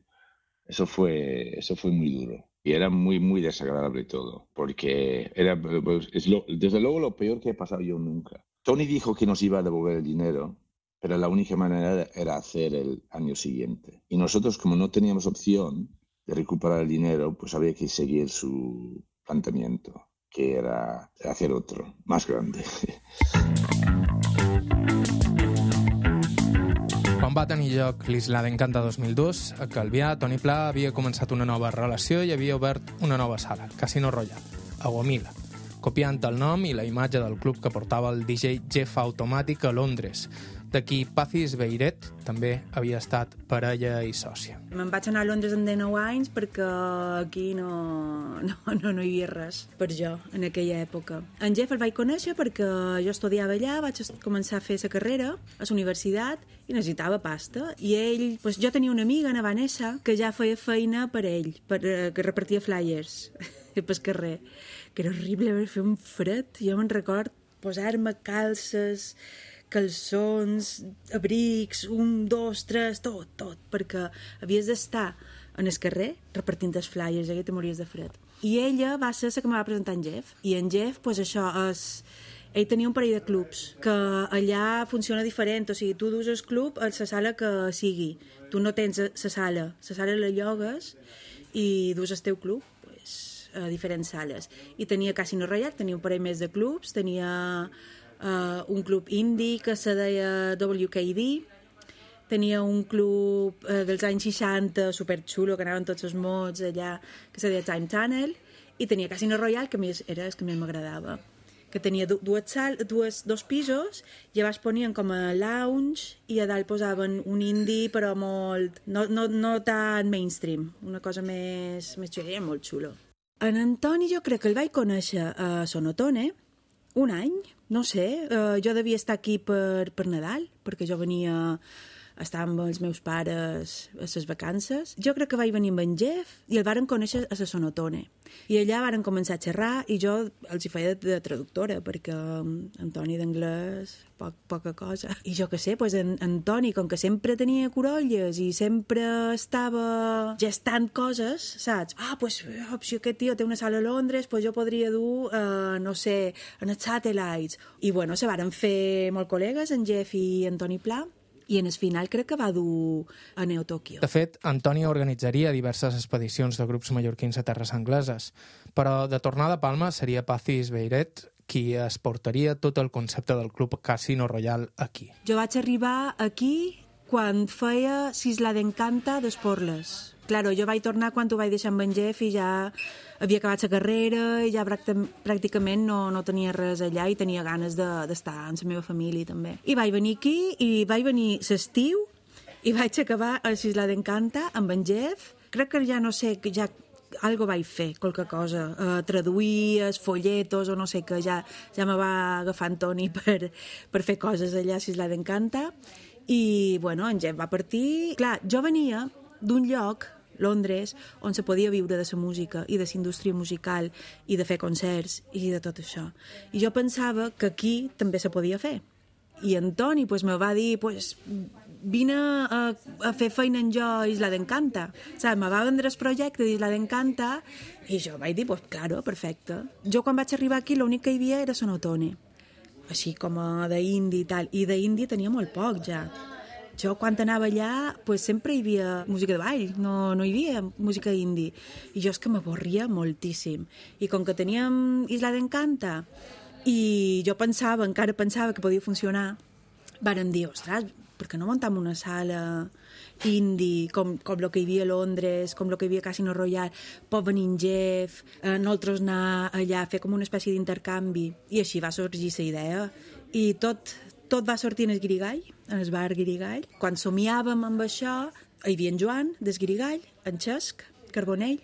Eso fue, eso fue muy duro. Y era muy, muy desagradable todo, porque era, pues, es lo, desde luego, lo peor que he pasado yo nunca. Tony dijo que nos iba a devolver el dinero, pero la única manera era hacer el año siguiente. Y nosotros, como no teníamos opción de recuperar el dinero, pues había que seguir su planteamiento, que era hacer otro, más grande. Quan va tenir lloc l'Isla d'Encanta dos mil dos, a Calvià, Tony Pla havia començat una nova relació i havia obert una nova sala, Casino Royal, a Gomila, copiant el nom i la imatge del club que portava el D J Jeff Automatic a Londres, de qui Pazis Beiret també havia estat parella i sòcia. Me'n vaig anar a Londres amb dinou anys perquè aquí no, no, no, no hi havia res per jo en aquella època. En Jeff el vaig conèixer perquè jo estudiava allà, vaig començar a fer la carrera a la universitat i necessitava pasta. I ell, doncs jo tenia una amiga, na Vanessa, que ja feia feina per ell, per, que repartia flyers. pel carrer, que era horrible fer un fred. Jo me'n record posar-me calces, calçons, abrics, un, dos, tres, tot, tot, perquè havies d'estar en el carrer repartint els flyers, i te mories de fred. I ella va ser la que me va presentar en Jeff, i en Jeff, pues això, és... ell tenia un parell de clubs, que allà funciona diferent, o sigui, tu dus el club a la sala que sigui, tu no tens la sala, la sala la llogues i dus el teu club pues, a diferents sales. I tenia Casino Royale, tenia un parell més de clubs, tenia uh, un club indie que se deia W K D, tenia un club eh, dels anys seixanta superxulo, que anaven tots els mots allà, que se deia Time Tunnel, i tenia Casino Royale, que més era el que més m'agradava, que tenia dues sal, dues, dos pisos, i llavors ponien com a lounge, i a dalt posaven un indie, però molt... no, no, no tan mainstream, una cosa més, més xulo, era molt xulo. En Antoni jo crec que el vaig conèixer a Sonotone, un any, no sé, eh, jo devia estar aquí per, per Nadal, perquè jo venia... estava amb els meus pares a les vacances. Jo crec que vaig venir amb en Jeff i el varen conèixer a la Sonotone. I allà varen començar a xerrar i jo els hi feia de, de traductora, perquè Antoni d'anglès, poc, poca cosa. I jo què sé, pues en, Antoni, com que sempre tenia corolles i sempre estava gestant coses, saps? Ah, pues si aquest tio té una sala a Londres, pues jo podria dur, eh, no sé, en els Satellites. I bueno, se varen fer molt col·legues, en Jeff i Antoni Pla, i en el final crec que va dur a Neo Tokyo. De fet, Antoni organitzaria diverses expedicions de grups mallorquins a terres angleses, però de tornada a Palma seria Pazis Beiret qui es portaria tot el concepte del club Casino Royale aquí. Jo vaig arribar aquí quan feia S'Isla d'Encanta d'Esporles. Claro, jo vaig tornar quan ho vaig deixar amb en Jeff i ja havia acabat la carrera i ja pràcticament no, no tenia res allà i tenia ganes d'estar de, amb la meva família també. I vaig venir aquí i vaig venir l'estiu i vaig acabar a S'Isla d'Encanta amb en Jeff. Crec que ja no sé, que ja algo vaig fer, qualque cosa, uh, traduir els folletos o no sé què, ja, ja me va agafar Antoni per, per fer coses allà a S'Isla d'Encanta i bueno, en Jeff va partir. Clar, jo venia d'un lloc, Londres, on se podia viure de la música i de la indústria musical i de fer concerts i de tot això. I jo pensava que aquí també se podia fer. I Antoni pues, me va dir, pues, vine a, a fer feina en jo a Isla d'Encanta. Saps? Me va vendre el projecte d'Isla d'Encanta i jo vaig dir, pues, claro, perfecte. Jo quan vaig arribar aquí l'únic que hi havia era Sonotone, així com d'indie i tal. I d'indie tenia molt poc ja. Jo, quan anava allà, pues, sempre hi havia música de ball, no, no hi havia música indie. I jo és que m'avorria moltíssim. I com que teníem Isla d'Encanta i jo pensava, encara pensava que podia funcionar, varen dir, ostres, per què no muntam una sala indie, com, com el que hi havia a Londres, com el que hi havia a Casino Royale, pot venir en Jeff, eh, nosaltres anar allà a fer com una espècie d'intercanvi. I així va sorgir la idea. I tot... Tot va sortir en el Guirigall, en el bar Guirigall. Quan somiàvem amb això, hi havia en Joan, des Guirigall, en Xesc, Carbonell,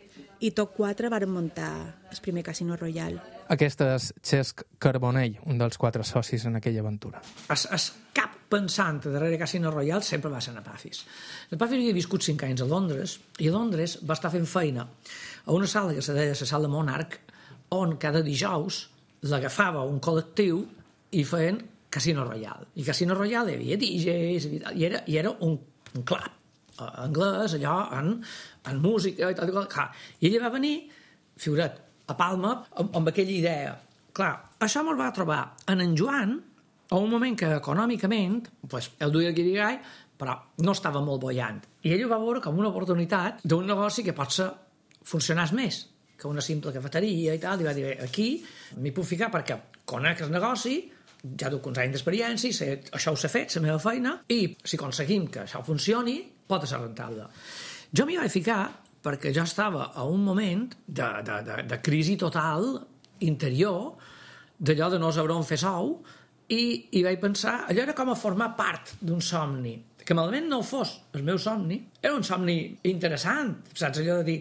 i tot quatre varen muntar el primer Casino Royale. Aquest és Xesc Carbonell, un dels quatre socis en aquella aventura. Es, es cap pensant darrere Casino Royale sempre va ser a Pazis. El Pazis havia viscut cinc anys a Londres, i a Londres va estar fent feina a una sala que se deia la sala Monarch, on cada dijous l'agafava un col·lectiu i feien Casino Royale. I Casino Royale hi havia D Js i era, i era un, un club uh, anglès, allò, en, en música i tal. I ella va venir, figurat, a Palma, amb, amb aquella idea. Clar, això me'l va trobar en en Joan a un moment que econòmicament pues, el duia el Guirigall, però no estava molt bollant. I ell ho va veure com una oportunitat d'un negoci que potser funcionés més que una simple cafeteria i tal. I va dir, aquí m'hi puc ficar perquè conec el negoci, ja duc uns anys d'experiència, sé, això ho sé fet, la meva feina, i si aconseguim que això funcioni, pot ser rentable. Jo m'hi vaig ficar perquè jo estava a un moment de, de, de, de crisi total interior, d'allò de no saber on fer sou, i, i vaig pensar, allò era com a formar part d'un somni, que malament no fos el meu somni, era un somni interessant, saps, allò de dir,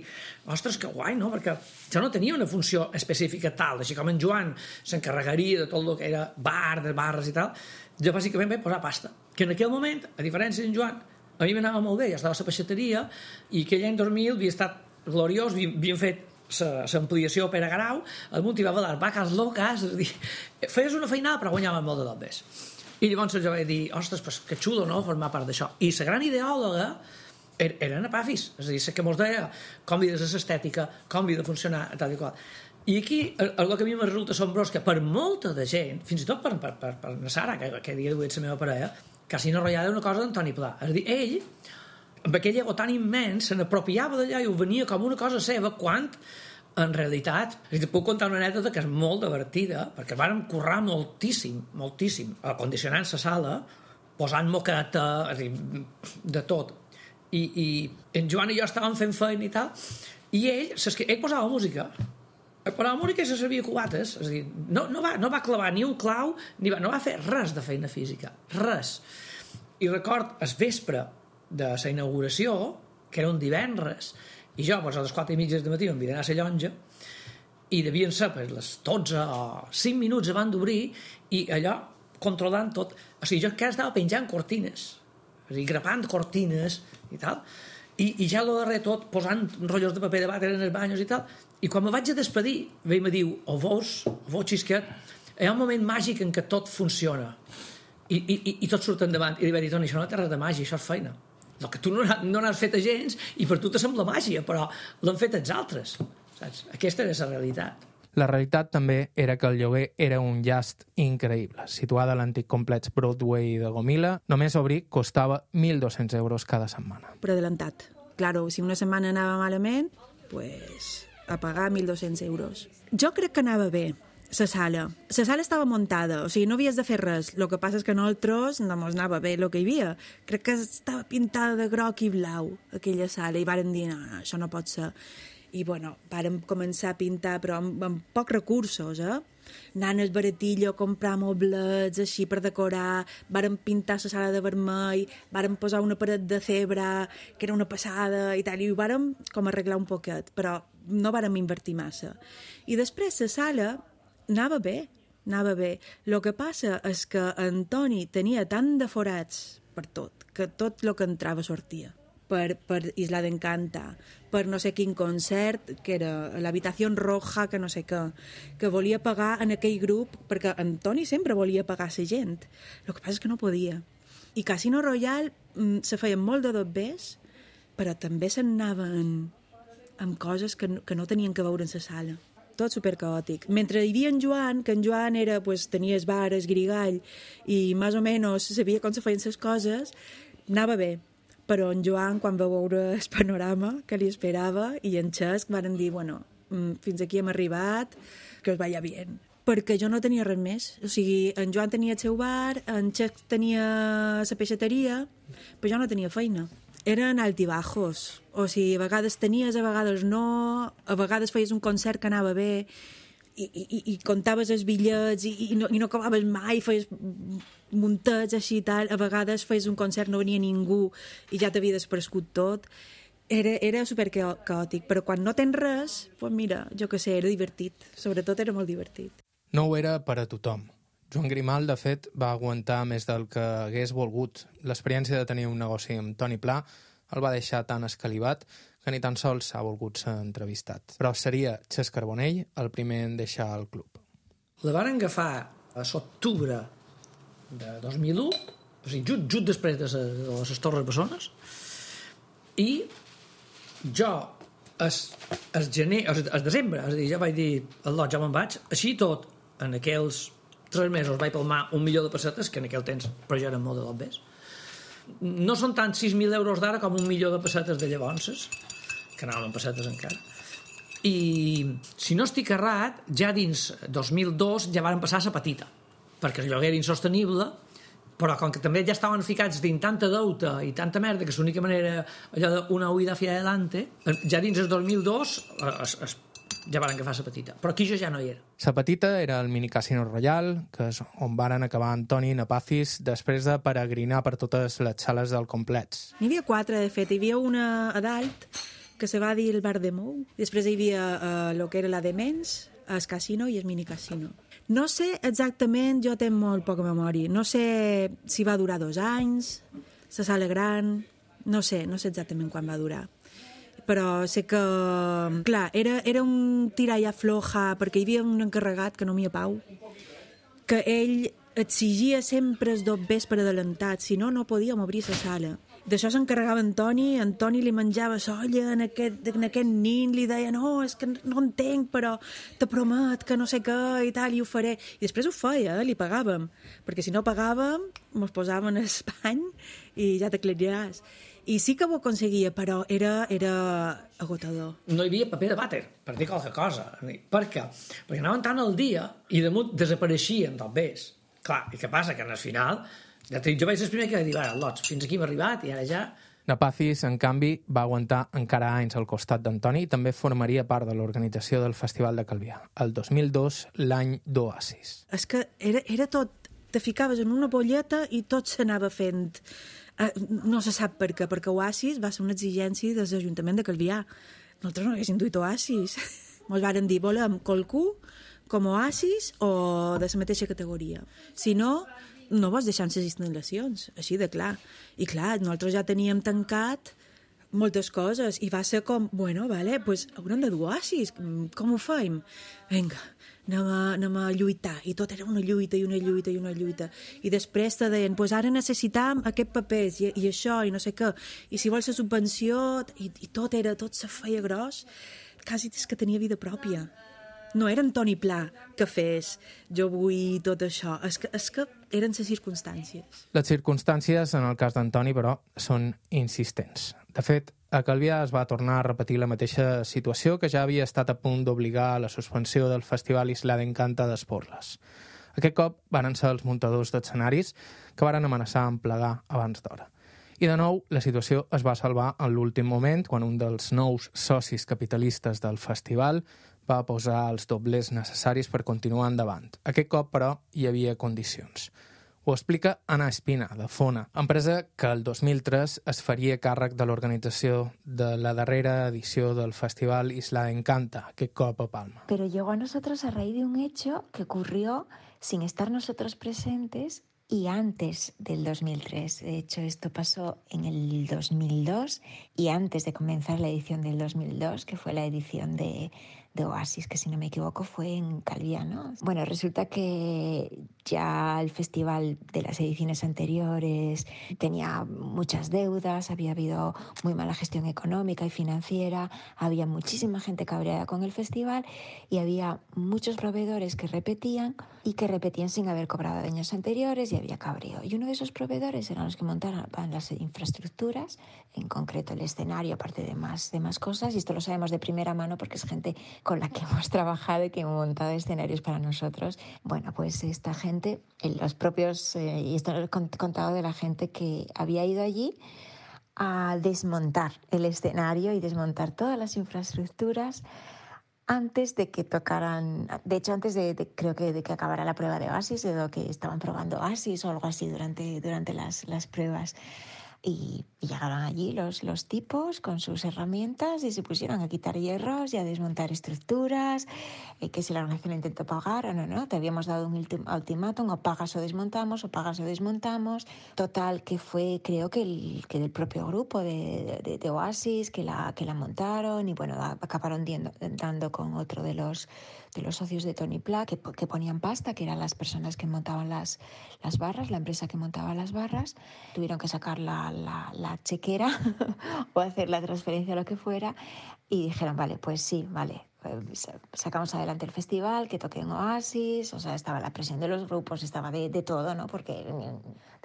ostres, que guai, no?, perquè jo no tenia una funció específica tal, així com en Joan s'encarregaria de tot el que era bar, de barres i tal, jo bàsicament vaig posar pasta, que en aquell moment, a diferència d'en Joan, a mi m'anava molt bé, ja estava a la peixateria, i aquell any dos mil havia estat gloriós, havíem fet l'ampliació Pere Garau, el munt hi va valer vaques locas, és a dir, feies una feinada però guanyaven molt de dobbes. I llavors jo vaig dir, ostres, pues, que xulo, no?, formar part d'això. I la gran ideòloga era Ana Pafis, és a dir, que mos deia com havia de ser l'estètica, com havia de funcionar, tal i qual. I aquí, el que a mi me resulta assombrós, que per molta de gent, fins i tot per, per, per, per la Sara, que, que dia d'avui és la meva parella, Casino Royale és una cosa d'Antoni Pla. És a dir, ell, amb aquell ego tan immens, se n'apropiava d'allà i ho venia com una cosa seva, quan, en realitat, és a dir, puc contar una anècdota que és molt divertida, perquè vàrem currar moltíssim, moltíssim, acondicionant la sala, posant moqueta, és a dir, de tot. I, i en Joan i jo estàvem fent feina i tal, i ell, ell posava música, però la música se servia cubates, és a dir, no, no, va, no va clavar ni un clau, ni va, no va fer res de feina física, res. I record, el vespre de la inauguració, que era un divendres, i jo, doncs, a les quatre i mitja de matí em viré a la llonja, i devien ser per les dotze o cinc minuts abans d'obrir, i allò, controlant tot, o sigui, jo encara estava penjant cortines, és a dir, grapant cortines i tal, i, i ja lo darrer tot, posant rotllos de paper de vàter en els banyos i tal, i quan me vaig a despedir, ell me diu, o vos, o vos xisquet, hi ha un moment màgic en què tot funciona, i, i, i tot surt endavant, i li vaig dir, Toni, això no té res de màgia, això és feina. El que tu no, no n'has fet a gens, i per tu te sembla màgia, però l'han fet els altres, saps? Aquesta era la realitat. La realitat també era que el lloguer era un llast increïble. Situada a l'antic complex Broadway de Gomila, només obrir costava mil dos-cents euros cada setmana. Per adelantat. Claro, si una setmana anava malament, pues, a pagar mil dos-cents euros. Jo crec que anava bé, la sala. La sala estava muntada, o sigui, no havies de fer res. El que passa és que nosaltres no mos anava bé el que hi havia. Crec que estava pintada de groc i blau, aquella sala, i varen dir, no, no, això no pot ser. I, bueno, vàrem començar a pintar, però amb, amb pocs recursos, eh? Anant al baratillo, comprar moblets, així, per decorar, vàrem pintar la sala de vermell, vàrem posar una paret de cebra, que era una passada, i tal, i ho vàrem com arreglar un poquet, però no vàrem invertir massa. I després la sala anava bé, anava bé. El que passa és que Antoni tenia tant de forats per tot, que tot el que entrava sortia. Per, per Isla d'Encanta, per no sé quin concert, que era l'Habitació Roja, que no sé què, que volia pagar en aquell grup, perquè Antoni sempre volia pagar la gent. El que passa és que no podia. I Casino Royale se feien molt de dobbers, però també se'n anaven amb coses que no, que no tenien que veure en la sala. Tot supercaòtic. Mentre hi havia en Joan, que en Joan era, pues, tenia el bar, el grigall, i més o menys sabia com se feien les coses, anava bé. Però en Joan, quan va veure el panorama que li esperava, i en Xesc van dir, bueno, fins aquí hem arribat, que us vaya bien. Perquè jo no tenia res més. O sigui, en Joan tenia el seu bar, en Xesc tenia la peixateria, però jo no tenia feina. Eren altibajos. O sigui, a vegades tenies, a vegades no, a vegades feies un concert que anava bé, i, i, i contaves els bitllets, i, i, no, i no acabaves mai, feies muntats així i tal, a vegades feies un concert, no venia ningú i ja t'havia desprescut tot. Era, era super caòtic, però quan no tens res, pues mira, jo què sé, era divertit, sobretot era molt divertit. No ho era per a tothom. Joan Grimal, de fet, va aguantar més del que hagués volgut. L'experiència de tenir un negoci amb Toni Pla el va deixar tan escalivat que ni tan sols s'ha volgut ser entrevistat. Però seria Xesc Carbonell el primer en deixar el club. La van agafar a l'octubre de dos mil u, o sigui, just, just després de, de les Torres Bessones, i jo es, es gener, es, es desembre, és a dir, ja vaig dir el lot, ja me'n vaig, així tot, en aquells tres mesos vaig palmar un milió de pessetes, que en aquell temps, però ja eren molt de dobbers. No són tant sis mil euros d'ara com un milió de pessetes de llavors, que anaven en pessetes encara. I si no estic errat, ja dins dos mil dos ja van passar a la petita, perquè el lloguer era insostenible, però com que també ja estaven ficats dins tanta deuta i tanta merda que l'única manera allò d'una huida hacia adelante, ja dins el dos mil dos es, es, ja van agafar la petita, però aquí jo ja no hi era. La petita era el mini Casino Royal, que és on varen acabar Antoni i Napafis després de peregrinar per totes les sales del complex. N'hi havia quatre, de fet. Hi havia una a dalt que se va dir el Bar de Mou, després hi havia uh, el que era la de Mens, el Casino i el mini Casino. No sé exactament, jo tenc molt poca memòria, no sé si va durar dos anys, la sala gran, no sé, no sé exactament quan va durar. però sé que, clar, era, era un tirar i aflojar, perquè hi havia un encarregat, que no m'hi ha Pau, que ell exigia sempre els dos vespre adelantat, si no, no podíem obrir la sala. D'això s'encarregava Antoni, Antoni li menjava solla en aquest, en aquest nin, li deia, no, és que no entenc, però te promet que no sé què i tal, i ho faré. I després ho feia, eh? Li pagàvem, perquè si no pagàvem, mos posàvem en espany i ja t'aclariràs. I sí que ho aconseguia, però era, era agotador. No hi havia paper de vàter, per dir qualque cosa. Per què? Perquè anaven tant al dia i damunt desapareixien del bes. Clar, i què passa? Que al final, ja dic, jo vaig ser el primer que vaig dir, ara, lots, fins aquí hem arribat i ara ja... Napacis, en canvi, va aguantar encara anys al costat d'Antoni i també formaria part de l'organització del Festival de Calvià. El dos mil dos, l'any d'Oasis. És que era, era tot... Te ficaves en una bolleta i tot s'anava fent... Uh, no se sap per què, perquè Oasis va ser una exigència de l'Ajuntament de Calvià. Nosaltres no haguéssim duit Oasis. Ens varen dir, volem qualcú com Oasis o de la mateixa categoria. Si no, no vols deixar les instal·lacions, així de clar. I clar, nosaltres ja teníem tancat moltes coses i va ser com, bueno, vale, pues haurem de dur Oasis, com ho fem? Vinga, anem a, anem a lluitar. I tot era una lluita i una lluita i una lluita. I després te deien, pues ara necessitam aquest papers i, i això i no sé què. I si vols la subvenció, i, i tot era, tot se feia gros, quasi és que tenia vida pròpia. No era Antoni Pla que fes jo vull tot això, és que, és que eren les circumstàncies. Les circumstàncies, en el cas d'Antoni, però, són insistents. De fet, a Calvià es va tornar a repetir la mateixa situació que ja havia estat a punt d'obligar a la suspensió del Festival Isla d'Encanta d'Esporles. Aquest cop varen ser els muntadors d'escenaris que varen amenaçar en plegar abans d'hora. I de nou, la situació es va salvar en l'últim moment, quan un dels nous socis capitalistes del festival va posar els doblers necessaris per continuar endavant. Aquest cop, però, hi havia condicions. Ho explica Ana Espina, de Fona, empresa que el dos mil tres es faria càrrec de l'organització de la darrera edició del Festival Isla Encanta, aquest cop a Palma. Pero llegó a nosotros a raíz de un hecho que ocurrió sin estar nosotros presentes y antes del dos mil tres. De hecho, esto pasó en el dos mil dos y antes de comenzar la edición del dos mil dos, que fue la edición de, de Oasis, que si no me equivoco fue en Calvià, ¿no? Bueno, resulta que ya el festival de las ediciones anteriores tenía muchas deudas, había habido muy mala gestión económica y financiera, había muchísima gente cabreada con el festival y había muchos proveedores que repetían y que repetían sin haber cobrado de años anteriores y había cabreo. Y uno de esos proveedores eran los que montaban las infraestructuras, en concreto el escenario, aparte de más, de más cosas, y esto lo sabemos de primera mano porque es gente con la que hemos trabajado y que hemos montado escenarios para nosotros. Bueno, pues esta gente, los propios, eh, y esto lo he contado de la gente que había ido allí a desmontar el escenario y desmontar todas las infraestructuras antes de que tocaran, de hecho antes de, de creo que de que acabara la prueba de Oasis, de lo que estaban probando Oasis o algo así durante, durante las, las pruebas. Y, y llegaron allí los, los tipos con sus herramientas y se pusieron a quitar hierros y a desmontar estructuras, eh, que si la organización intentó pagar o no, no, te habíamos dado un ultimátum, o pagas o desmontamos, o pagas o desmontamos. Total, que fue, creo que el, que del propio grupo de, de, de Oasis que la, que la montaron y bueno, acabaron diendo, dando con otro de los, de los socios de Tony Pla que, que ponían pasta, que eran las personas que montaban las, las barras, la empresa que montaba las barras. Tuvieron que sacar la La, la chequera o hacer la transferencia o lo que fuera y dijeron, vale, pues sí, vale, sacamos adelante el festival, que toquen Oasis, o sea, estaba la presión de los grupos, estaba de, de todo, ¿no? Porque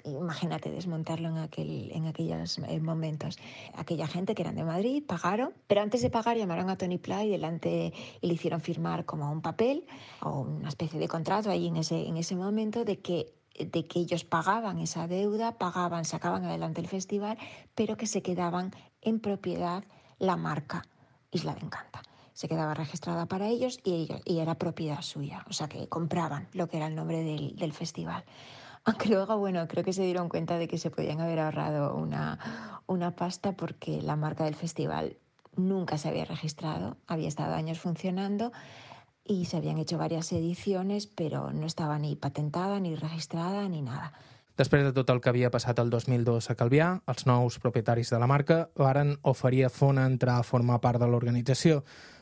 imagínate desmontarlo en, aquel, en aquellos momentos. Aquella gente que eran de Madrid pagaron, pero antes de pagar llamaron a Tony Pla y delante y le hicieron firmar como un papel o una especie de contrato ahí en ese, en ese momento de que de que ellos pagaban esa deuda, pagaban, sacaban adelante el festival, pero que se quedaban en propiedad la marca Isla de Encanta. Se quedaba registrada para ellos y, ellos, y era propiedad suya, o sea que compraban lo que era el nombre del, del festival. Aunque luego, bueno, creo que se dieron cuenta de que se podían haber ahorrado una, una pasta porque la marca del festival nunca se había registrado, había estado años funcionando, y se habían hecho varias ediciones, pero no estaba ni patentada, ni registrada, ni nada. Després de tot el que havia passat el dos mil dos a Calvià, els nous propietaris de la marca varen oferir a Fona entrar a formar part de l'organització,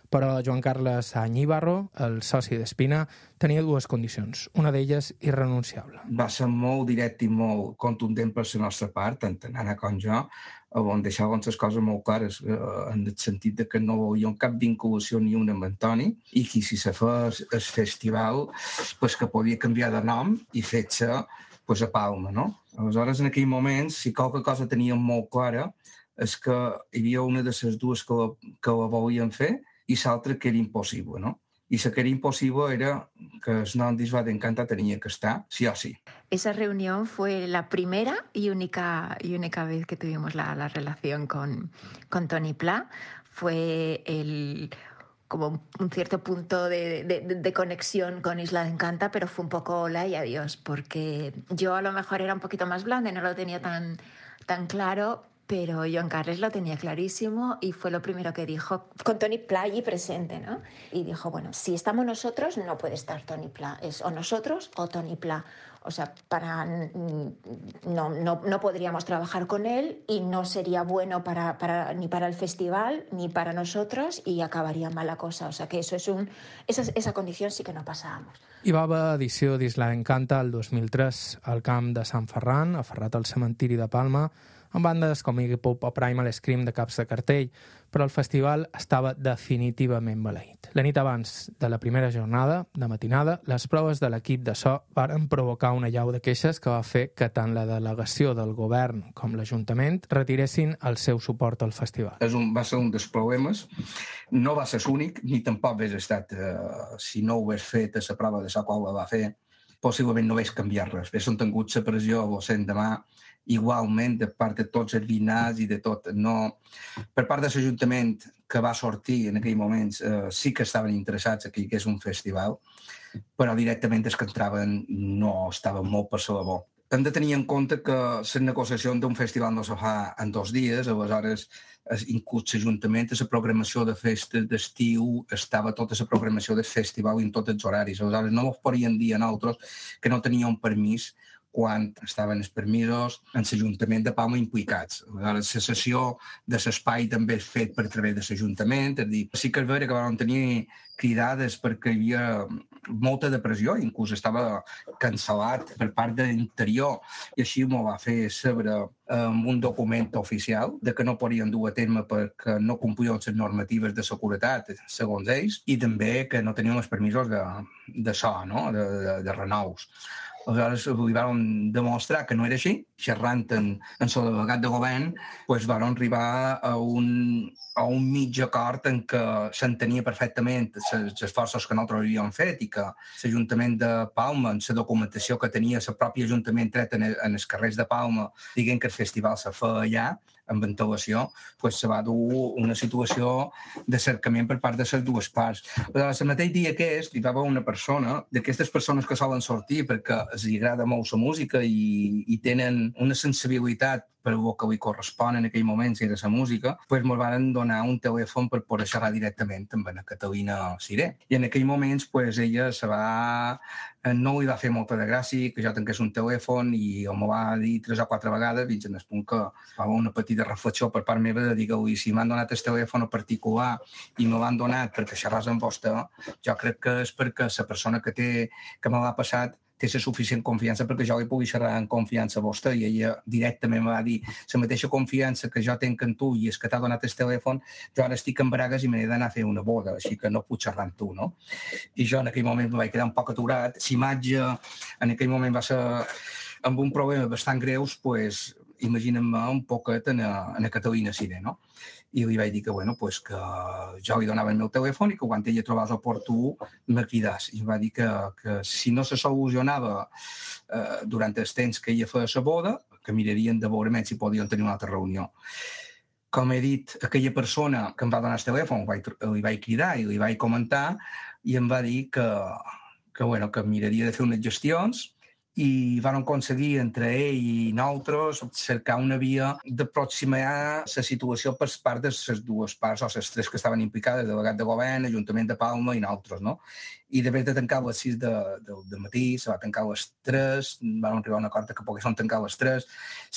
però Joan Carles Añíbarro, el soci d'Espina, tenia dues condicions, una d'elles irrenunciable. Va ser molt directe i molt contundent per la nostra part, tant Anna com jo, on deixaven les coses molt clares, en el sentit que no volíem cap vinculació ni una amb Antoni, i que si se fes el festival, pues que podia canviar de nom i fer-se pues, a Palma, no? Aleshores, en aquell moment, si qualque cosa teníem molt clara, és que hi havia una de les dues que la, que la volien fer i l'altra que era impossible, no? I la que era imposible era que el nom d'Isla d'Encanta tenia que estar, sí o sí. Esa reunión fue la primera y única, y única vez que tuvimos la, la relación con, con Toni Pla. Fue el... como un cierto punto de, de, de conexión con Isla de Encanta, pero fue un poco hola y adiós, porque yo a lo mejor era un poquito más blanda y no lo tenía tan, tan claro, pero Joan Carles lo tenía clarísimo y fue lo primero que dijo, con Toni Pla allí presente, ¿no? Y dijo, bueno, si estamos nosotros, no puede estar Toni Pla, es o nosotros o Toni Pla. O sea, para, no, no, no podríamos trabajar con él y no sería bueno para, para, ni para el festival ni para nosotros y acabaría mal la cosa. O sea, que eso es un, esa, esa condición sí que no pasábamos. Hi va haver edició d'Isla d'Encanta el dos mil tres al camp de Sant Ferran, aferrat al cementiri de Palma, amb bandes com Iggy Pop o Primal Scream de caps de cartell, però el festival estava definitivament maleït. La nit abans de la primera jornada, de matinada, les proves de l'equip de so varen provocar una llau de queixes que va fer que tant la delegació del govern com l'Ajuntament retiressin el seu suport al festival. És un, va ser un dels problemes. No va ser l'únic, ni tampoc hagués estat, eh, si no ho hagués fet a la prova de la qual la va fer, possiblement no hagués canviat res. Haguéssim tingut la pressió o l'endemà igualment de part de tots els vinars i de tot. No, per part de l'Ajuntament que va sortir en aquell moment eh, sí que estaven interessats que hi hagués un festival, però directament els que entraven no estaven molt per la bo. Hem de tenir en compte que la negociació d'un festival no se fa en dos dies, aleshores inclús l'Ajuntament, la programació de festes d'estiu, estava tota la programació del festival en tots els horaris. Aleshores no ens podien dir a nosaltres que no teníem permís quan estaven els permisos en l'Ajuntament de Palma implicats. Aleshores, la cessió de l'espai també és fet per través de l'Ajuntament. És dir, sí que és vera que vam tenir cridades perquè hi havia molta depressió, inclús estava cancel·lat per part de l'interior, i així m'ho va fer saber amb un document oficial de que no podien dur a terme perquè no complien les normatives de seguretat, segons ells, i també que no tenien els permisos de, de so, no? de, de, de renous. Aleshores, li vam demostrar que no era així. Xerrant en, en el delegat de govern, doncs vam arribar a un, a un mig acord en què s'entenia perfectament els esforços que nosaltres havíem fet i que l'Ajuntament de Palma, en la documentació que tenia el propi Ajuntament tret en, en els carrers de Palma, dient que el festival se feia allà, amb ventilació, doncs se va dur una situació de cercament per part de les dues parts. Aleshores, el mateix dia aquest, hi va haver una persona, d'aquestes persones que solen sortir perquè els agrada molt la música i, i tenen una sensibilitat per el que li correspon en aquell moment, si era la música, doncs ens van donar un telèfon per poder xerrar directament amb la Catalina Siré. I en aquell moment doncs, ella se va... no li va fer molta de gràcia que jo tanqués un telèfon i m'ho va dir tres o quatre vegades fins en el punt que va haver una petita reflexió per part meva de dir-li si m'han donat el telèfon particular i me l'han donat perquè xerràs amb vostè, jo crec que és perquè la persona que, té, que me l'ha passat té la suficient confiança perquè jo li pugui xerrar en confiança a vostè, i ella directament me va dir la mateixa confiança que jo tenc en tu i és que t'ha donat el telèfon, jo ara estic en Bragues i me n'he d'anar a fer una boda, així que no puc xerrar amb tu, no? I jo en aquell moment me vaig quedar un poc aturat. L'imatge en aquell moment va ser amb un problema bastant greus, doncs imaginem-me un poquet en a, en a Catalina Siré, no? I li vaig dir que, bueno, pues que jo li donava el meu telèfon i que quan ella trobés oportú me cridàs. I em va dir que, que si no se solucionava eh, durant el temps que ella feia la boda, que mirarien de veure si podien tenir una altra reunió. Com he dit, aquella persona que em va donar el telèfon li vaig, li vaig cridar i li vaig comentar i em va dir que, que, bueno, que miraria de fer unes gestions i van aconseguir entre ell i nosaltres cercar una via d'aproximar la situació per part de les dues parts, o les tres que estaven implicades, delegat de govern, Ajuntament de Palma i nosaltres, no? I d'haver de tancar a les sis de, de, de matí, se va tancar a les tres, vam arribar a un acord que poguessin tancar a les tres,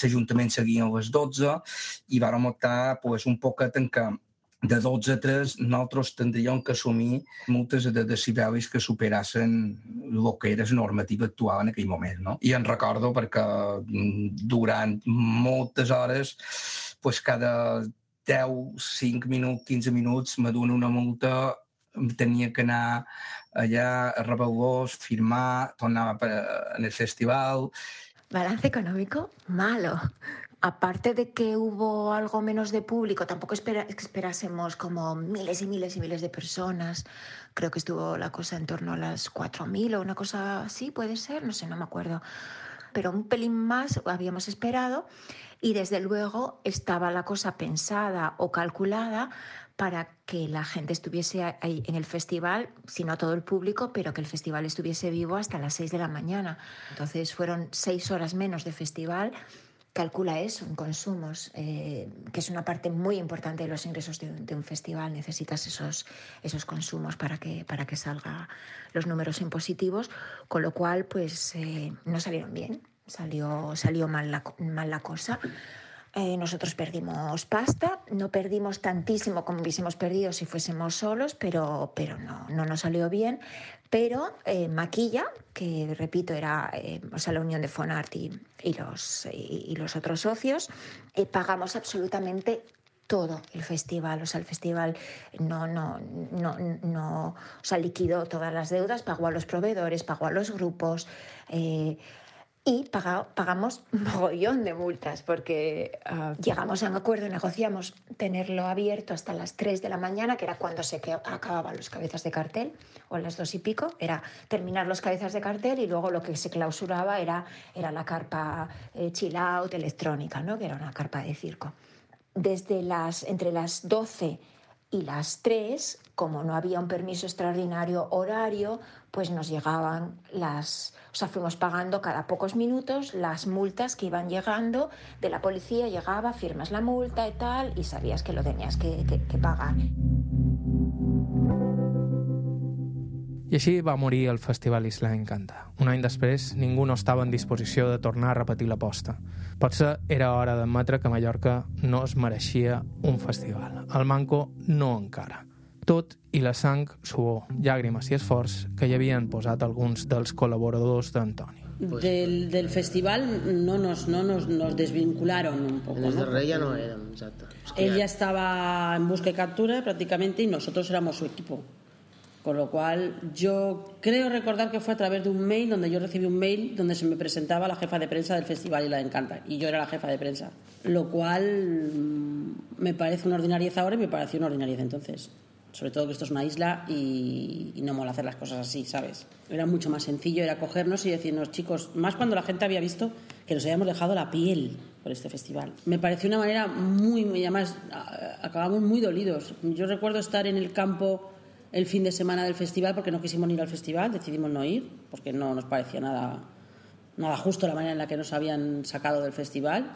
l'Ajuntament seguia a les dotze i vam optar pues, un poc a tancar de dotze a tres, nosaltres tindríem que assumir multes de decibelis que superassin el que era la normativa actual en aquell moment, no? I en recordo perquè durant moltes hores, pues, cada deu, cinc minuts, quinze minuts, me dona una multa, tenia que anar allá, a Rebelgós, firmar, tornaba para, en el festival. Balance económico malo. Aparte de que hubo algo menos de público, tampoco espera, esperásemos como miles y miles y miles de personas. Creo que estuvo la cosa en torno a las cuatro mil o una cosa así, puede ser, no sé, no me acuerdo. Pero un pelín más habíamos esperado y desde luego estaba la cosa pensada o calculada para que la gente estuviese ahí en el festival, si no todo el público, pero que el festival estuviese vivo hasta las seis de la mañana. Entonces fueron seis horas menos de festival. Calcula eso en consumos, eh, que es una parte muy importante de los ingresos de un, de un festival. Necesitas esos, esos consumos para que, para que salgan los números en positivos, con lo cual pues eh, no salieron bien, salió, salió mal, la, mal la cosa. Eh, nosotros perdimos pasta, no perdimos tantísimo como hubiésemos perdido si fuésemos solos, pero, pero no, no nos salió bien. Pero eh, Maquilla, que repito era eh, o sea, la unión de Fonart y, y, los, y, y los otros socios, eh, pagamos absolutamente todo el festival. O sea, el festival no, no, no, no o sea, liquidó todas las deudas, pagó a los proveedores, pagó a los grupos. Eh, Y paga, pagamos un mogollón de multas porque uh, llegamos a un acuerdo, negociamos tenerlo abierto hasta las tres de la mañana, que era cuando se que acababan los cabezas de cartel, o a las dos y pico, era terminar los cabezas de cartel y luego lo que se clausuraba era, era la carpa eh, chill out electrónica, ¿no? Que era una carpa de circo. Desde las, entre las doce y las tres, como no había un permiso extraordinario horario, pues nos llegaban las... O sea, fuimos pagando cada pocos minutos las multas que iban llegando de la policía, llegaba, firmas la multa y tal, y sabías que lo tenías que, que, que pagar. I així va morir el Festival Isla Encanta. Un any després, ningú no estava en disposició de tornar a repetir l'aposta. Potser era hora d'admetre que Mallorca no es mereixia un festival. El Manco no encara. Tot i la sang, suor, llàgrimes i esforç que hi havien posat alguns dels col·laboradors d'Antoni. Del, del festival no nos, no nos, nos desvincularon un poco. En el ¿no? darrer ya no eran, exacto. Es que Él ya... ya estaba en busca y captura prácticamente y nosotros éramos su equipo. Con lo cual, yo creo recordar que fue a través de un mail donde yo recibí un mail donde se me presentaba la jefa de prensa del festival Isla Encanta y yo era la jefa de prensa. Lo cual me parece una ordinariez ahora y me pareció una ordinariez entonces. Sobre todo que esto es una isla y, y no mola hacer las cosas así, ¿sabes? Era mucho más sencillo, era cogernos y decirnos, chicos, más cuando la gente había visto que nos habíamos dejado la piel por este festival. Me pareció una manera muy, muy además, acabamos muy dolidos. Yo recuerdo estar en el campo el fin de semana del festival porque no quisimos ir al festival, decidimos no ir porque no nos parecía nada, nada justo la manera en la que nos habían sacado del festival.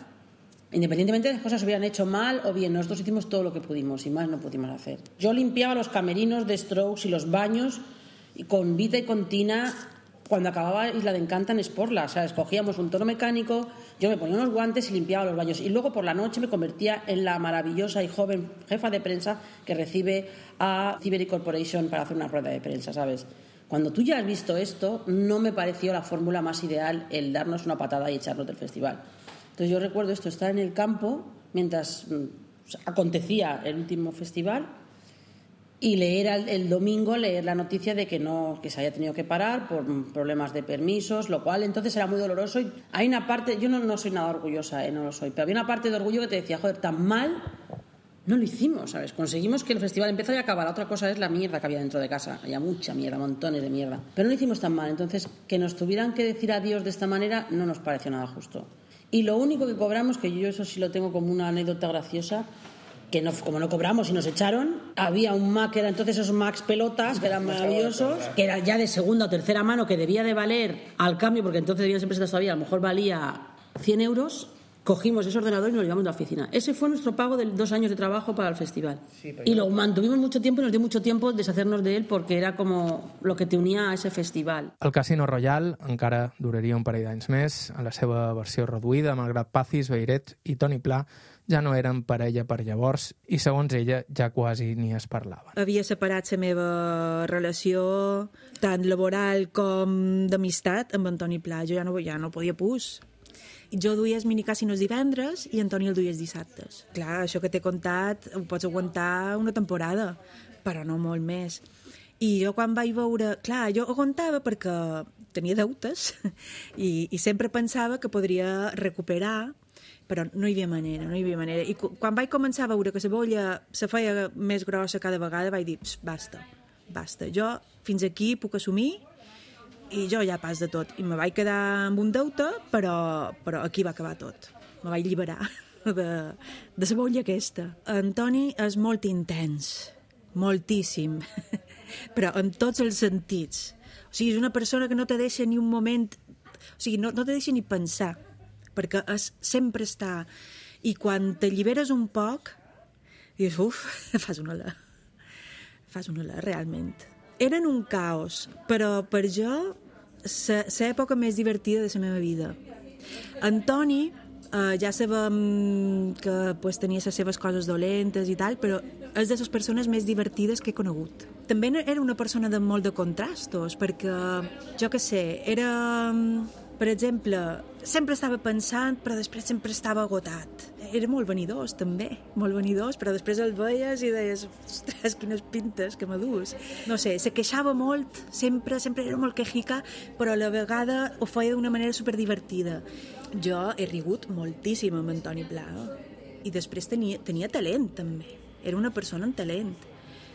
Independientemente de las cosas se hubieran hecho mal o bien, nosotros hicimos todo lo que pudimos y más no pudimos hacer. Yo limpiaba los camerinos de Strokes y los baños y con Vita y con Tina cuando acababa Isla de Encanta en Sportla, o sea, escogíamos un tono mecánico, yo me ponía unos guantes y limpiaba los baños y luego por la noche me convertía en la maravillosa y joven jefa de prensa que recibe a Cibery Corporation para hacer una rueda de prensa, ¿sabes? Cuando tú ya has visto esto, no me pareció la fórmula más ideal el darnos una patada y echarnos del festival. Entonces yo recuerdo esto, estar en el campo mientras o sea, acontecía el último festival y leer el, el domingo, leer la noticia de que no que se había tenido que parar por problemas de permisos, lo cual entonces era muy doloroso. Y hay una parte, yo no, no soy nada orgullosa, eh, no lo soy, pero había una parte de orgullo que te decía, joder, tan mal no lo hicimos, ¿sabes? Conseguimos que el festival empezara y acabara. Otra cosa es la mierda que había dentro de casa. Había mucha mierda, montones de mierda. Pero no lo hicimos tan mal. Entonces, que nos tuvieran que decir adiós de esta manera no nos pareció nada justo. Y lo único que cobramos, que yo eso sí lo tengo como una anécdota graciosa, que no, como no cobramos y nos echaron, había un Mac, que era entonces esos Macs pelotas, que eran maravillosos, que era ya de segunda o tercera mano, que debía de valer al cambio, porque entonces debían ser pesetas todavía, a lo mejor valía cien euros. Cogimos ese ordenador y nos lo llevamos a la oficina. Ese fue nuestro pago de dos años de trabajo para el festival. Sí, y lo mantuvimos mucho tiempo y nos dio mucho tiempo deshacernos de él porque era como lo que te unía a ese festival. El Casino Royal encara duraria un parell d'anys més. En la seva versió reduïda, malgrat Pazis, Beiret i Toni Pla ja no eren parella per llavors i, segons ella, ja quasi ni es parlaven. Havia separat la meva relació tant laboral com d'amistat amb en Toni Pla. Jo ja no, ja no podia pus. Jo duia els minicàssinos divendres i Antoni el duia els dissabtes. Clar, això que t'he contat ho pots aguantar una temporada, però no molt més. I jo quan vaig veure... Clar, jo aguantava perquè tenia deutes i, i sempre pensava que podria recuperar, però no hi havia manera, no hi havia manera. I quan vaig començar a veure que la bolla se feia més grossa cada vegada, vaig dir, basta, basta. Jo fins aquí puc assumir i jo ja pas de tot. I me vaig quedar amb un deute, però, però aquí va acabar tot. Me vaig alliberar de, de la bolla aquesta. Antoni és molt intens, moltíssim, però en tots els sentits. O sigui, és una persona que no te deixa ni un moment... O sigui, no, no te deixa ni pensar, perquè és, sempre està... I quan t'alliberes un poc, dius, uf, fas una la. Fas una la, realment. Eren un caos, però per jo l'època més divertida de la meva vida. Antoni, eh, ja sabem que pues, tenia les seves coses dolentes i tal, però és de les persones més divertides que he conegut. També era una persona de molt de contrastos, perquè, jo què sé, era... Per exemple, sempre estava pensant, però després sempre estava agotat. Era molt vanidós, també, molt vanidós, però després el veies i deies, ostres, quines pintes que m'adús. No sé, se queixava molt, sempre, sempre era molt quejica, però a la vegada ho feia d'una manera superdivertida. Jo he rigut moltíssim amb Antoni Pla, i després tenia, tenia talent, també. Era una persona amb talent,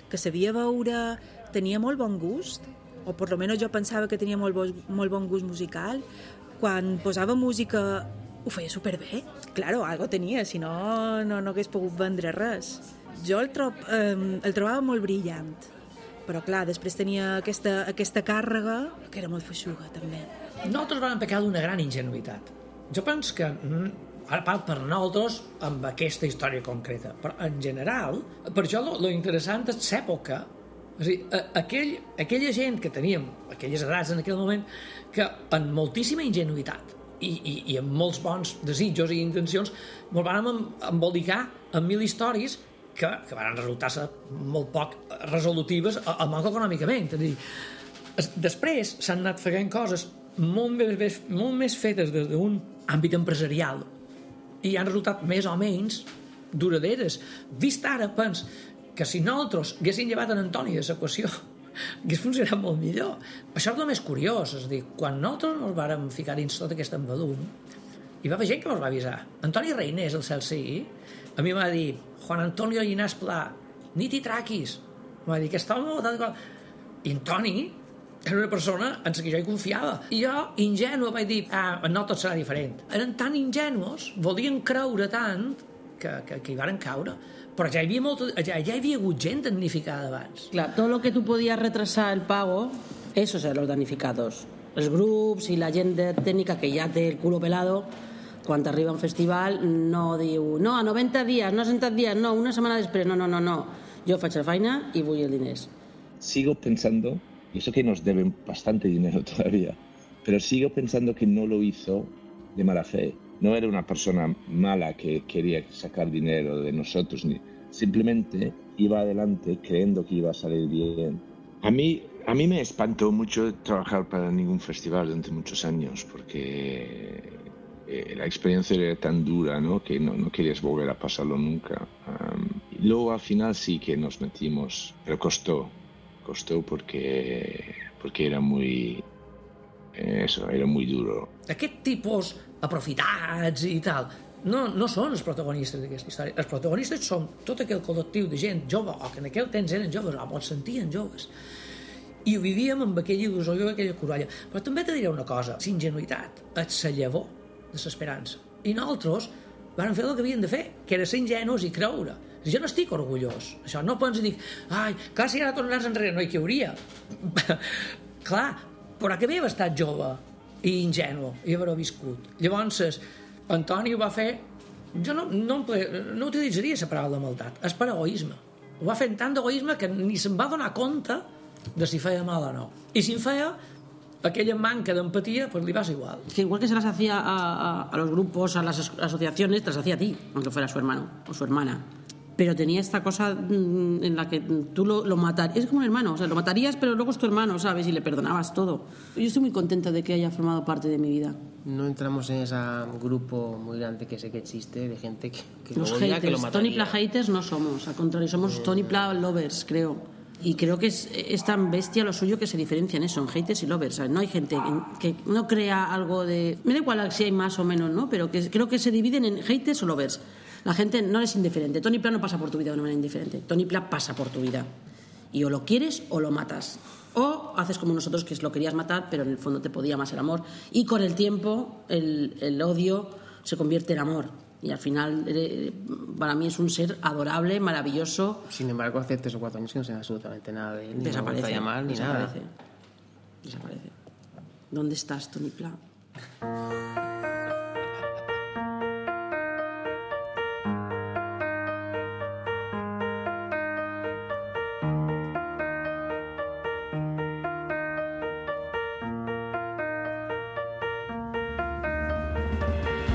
que sabia veure, tenia molt bon gust, o per almenys jo pensava que tenia molt, bo, molt bon gust musical. Quan posava música ho feia superbé. Claro, algo tenia, si no, no, no hagués pogut vendre res. Jo el, trob, eh, el trobava molt brillant, però clar, després tenia aquesta, aquesta càrrega que era molt feixuga, també. Nosaltres vam pecar d'una gran ingenuïtat. Jo penso que, ara parlo per nosaltres, amb aquesta història concreta, però en general, per això lo, lo interessant és l'època. És a dir, aquell, aquella gent que teníem, aquelles edats en aquell moment, que amb moltíssima ingenuïtat i, i, i amb molts bons desitjos i intencions ens vam embolicar amb mil històries que, que van resultar ser molt poc resolutives, almenys econòmicament. És a dir, després s'han anat fent coses molt més, molt més fetes des d'un àmbit empresarial i han resultat més o menys duraderes. Vist ara, pens que si nosaltres haguéssim llevat en Antoni de l'equació hagués funcionat molt millor. Això és el més curiós, és a dir, quan nosaltres ens vàrem ficar dins tot aquest embadum, hi va haver gent que ens va avisar. Antoni Reinés, el cel sigui, a mi m'ha dit, Juan Antonio Llinàs Pla, ni t'hi traquis. M'ha dit, aquest home... I Antoni era una persona en la que jo hi confiava. I jo, ingenu, vaig dir, ah, no tot serà diferent. Eren tan ingenus, volien creure tant, que, que, que hi varen caure. Però ja hi havia, molt, ja, ja hi havia hagut gent damnificada abans. Clar, todo lo que tú podías retrasar el pago, esos eran los damnificados. Els grups i la gent de tècnica que ja té el culo pelado, quan arriba a un festival no diu, no, a noventa dies, no a cent dies, no, una setmana després, no, no, no, no. Jo faig la feina i vull els diners. Sigo pensando, y eso que nos deben bastante dinero todavía, pero sigo pensando que no lo hizo de mala fe. No era una persona mala que quería sacar dinero de nosotros, ni simplemente iba adelante creyendo que iba a salir bien. A mí, a mí me espantó mucho trabajar para ningún festival durante muchos años, porque eh, la experiencia era tan dura, ¿no? Que no, no querías volver a pasarlo nunca. Um, y luego al final sí que nos metimos, pero costó, costó porque, porque era muy... Eso, era muy duro. Aquest tipus aprofitats i tal no, no són els protagonistes d'aquesta història. Els protagonistes són tot aquell col·lectiu de gent jove, o que en aquell temps eren joves, o es sentien joves, i ho vivíem amb aquella il·lusió i aquella corolla. Però també te diré una cosa, la ingenuïtat és la llavor de l'esperança. I nosaltres vam fer el que havíem de fer, que era ser ingenus i creure. Jo no estic orgullós. Això no pots dir, ai, clar, si ara tornaràs enrere, no hi hauria. Clar, però que bé haver estat jove i ingenu i haver-ho viscut. Llavors, Antoni ho va fer, jo no, no, no utilitzaria la paraula maldat, és per egoisme. Ho va fer tant d'egoisme que ni se'n va donar compte de si feia mal o no. I si en feia, aquella manca de empatía, pues le pasa igual. Que igual que se las hacía a, a, a los grupos, a las asociaciones, te las hacía a ti, aunque fuera su hermano o su hermana. Pero tenía esta cosa en la que tú lo, lo matarías, es como un hermano, o sea, lo matarías, pero luego es tu hermano, ¿sabes? Y le perdonabas todo. Yo estoy muy contenta de que haya formado parte de mi vida. No entramos en ese grupo muy grande que sé que existe, de gente que, que los lo odia, haters, que lo mataría. Tony Pla haters no somos, al contrario, somos eh... Tony Pla lovers, creo. Y creo que es, es tan bestia lo suyo que se diferencia en eso, en haters y lovers. ¿Sabes? No hay gente que, que no crea algo de... Me da igual si hay más o menos, ¿no? Pero que creo que se dividen en haters o lovers. La gente no es indiferente. Tony Pla no pasa por tu vida de una manera indiferente. Tony Pla pasa por tu vida. Y o lo quieres o lo matas. O haces como nosotros, que lo querías matar, pero en el fondo te podía más el amor. Y con el tiempo el, el odio se convierte en amor. Y al final, para mí es un ser adorable, maravilloso. Sin embargo, hace tres o cuatro años que no sé absolutamente nada de él. Ni desaparece. Me llamar, ni desaparece. nada. Desaparece. ¿Dónde estás, Tony Pla?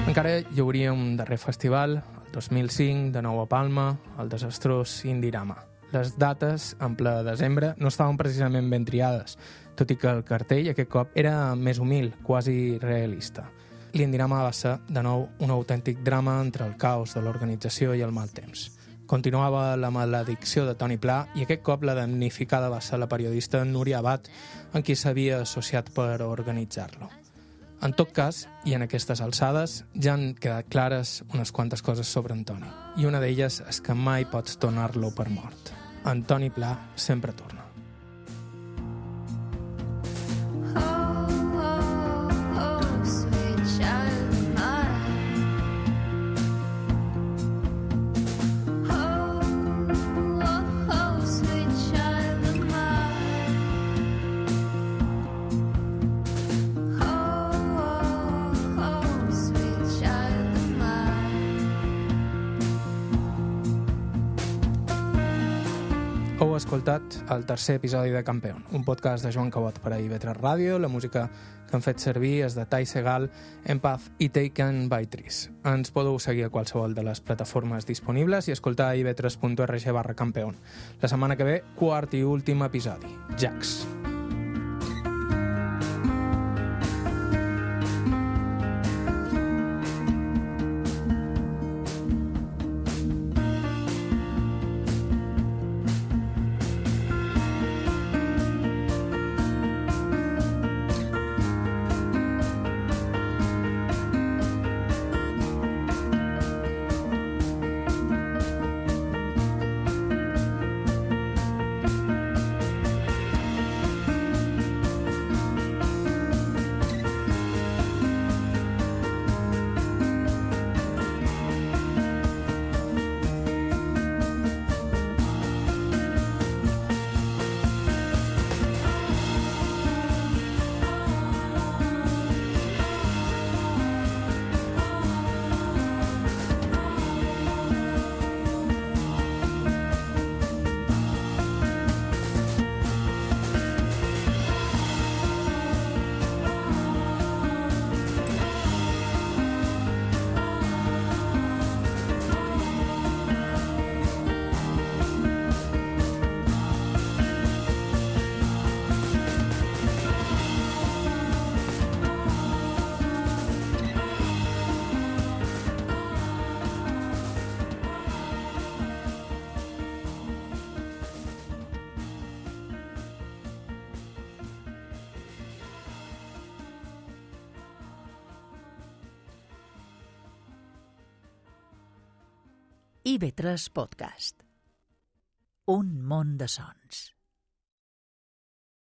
Encara hi hauria un darrer festival, el dos mil cinc, de nou a Palma, el desastrós Indirama. Les dates, en ple desembre, no estaven precisament ben triades, tot i que el cartell aquest cop era més humil, quasi realista. L'Indirama va ser, de nou, un autèntic drama entre el caos de l'organització i el mal temps. Continuava la maledicció de Tony Pla i aquest cop la damnificada va ser la periodista Núria Abad, amb qui s'havia associat per organitzar-lo. En tot cas, i en aquestes alçades, ja han quedat clares unes quantes coses sobre Antoni. I una d'elles és que mai pots tornar-lo per mort. Antoni Pla sempre torna. Heu escoltat el tercer episodi de Campeón, un podcast de Joan Cabot per a I V tres Ràdio. La música que han fet servir és de Tai Segal, Empath i Taken by Trees. Ens podeu seguir a qualsevol de les plataformes disponibles i escoltar a i v tres punt org barra Campeón. La setmana que ve, quart i últim episodi, Jax. I V tres Podcast. Un món de sons.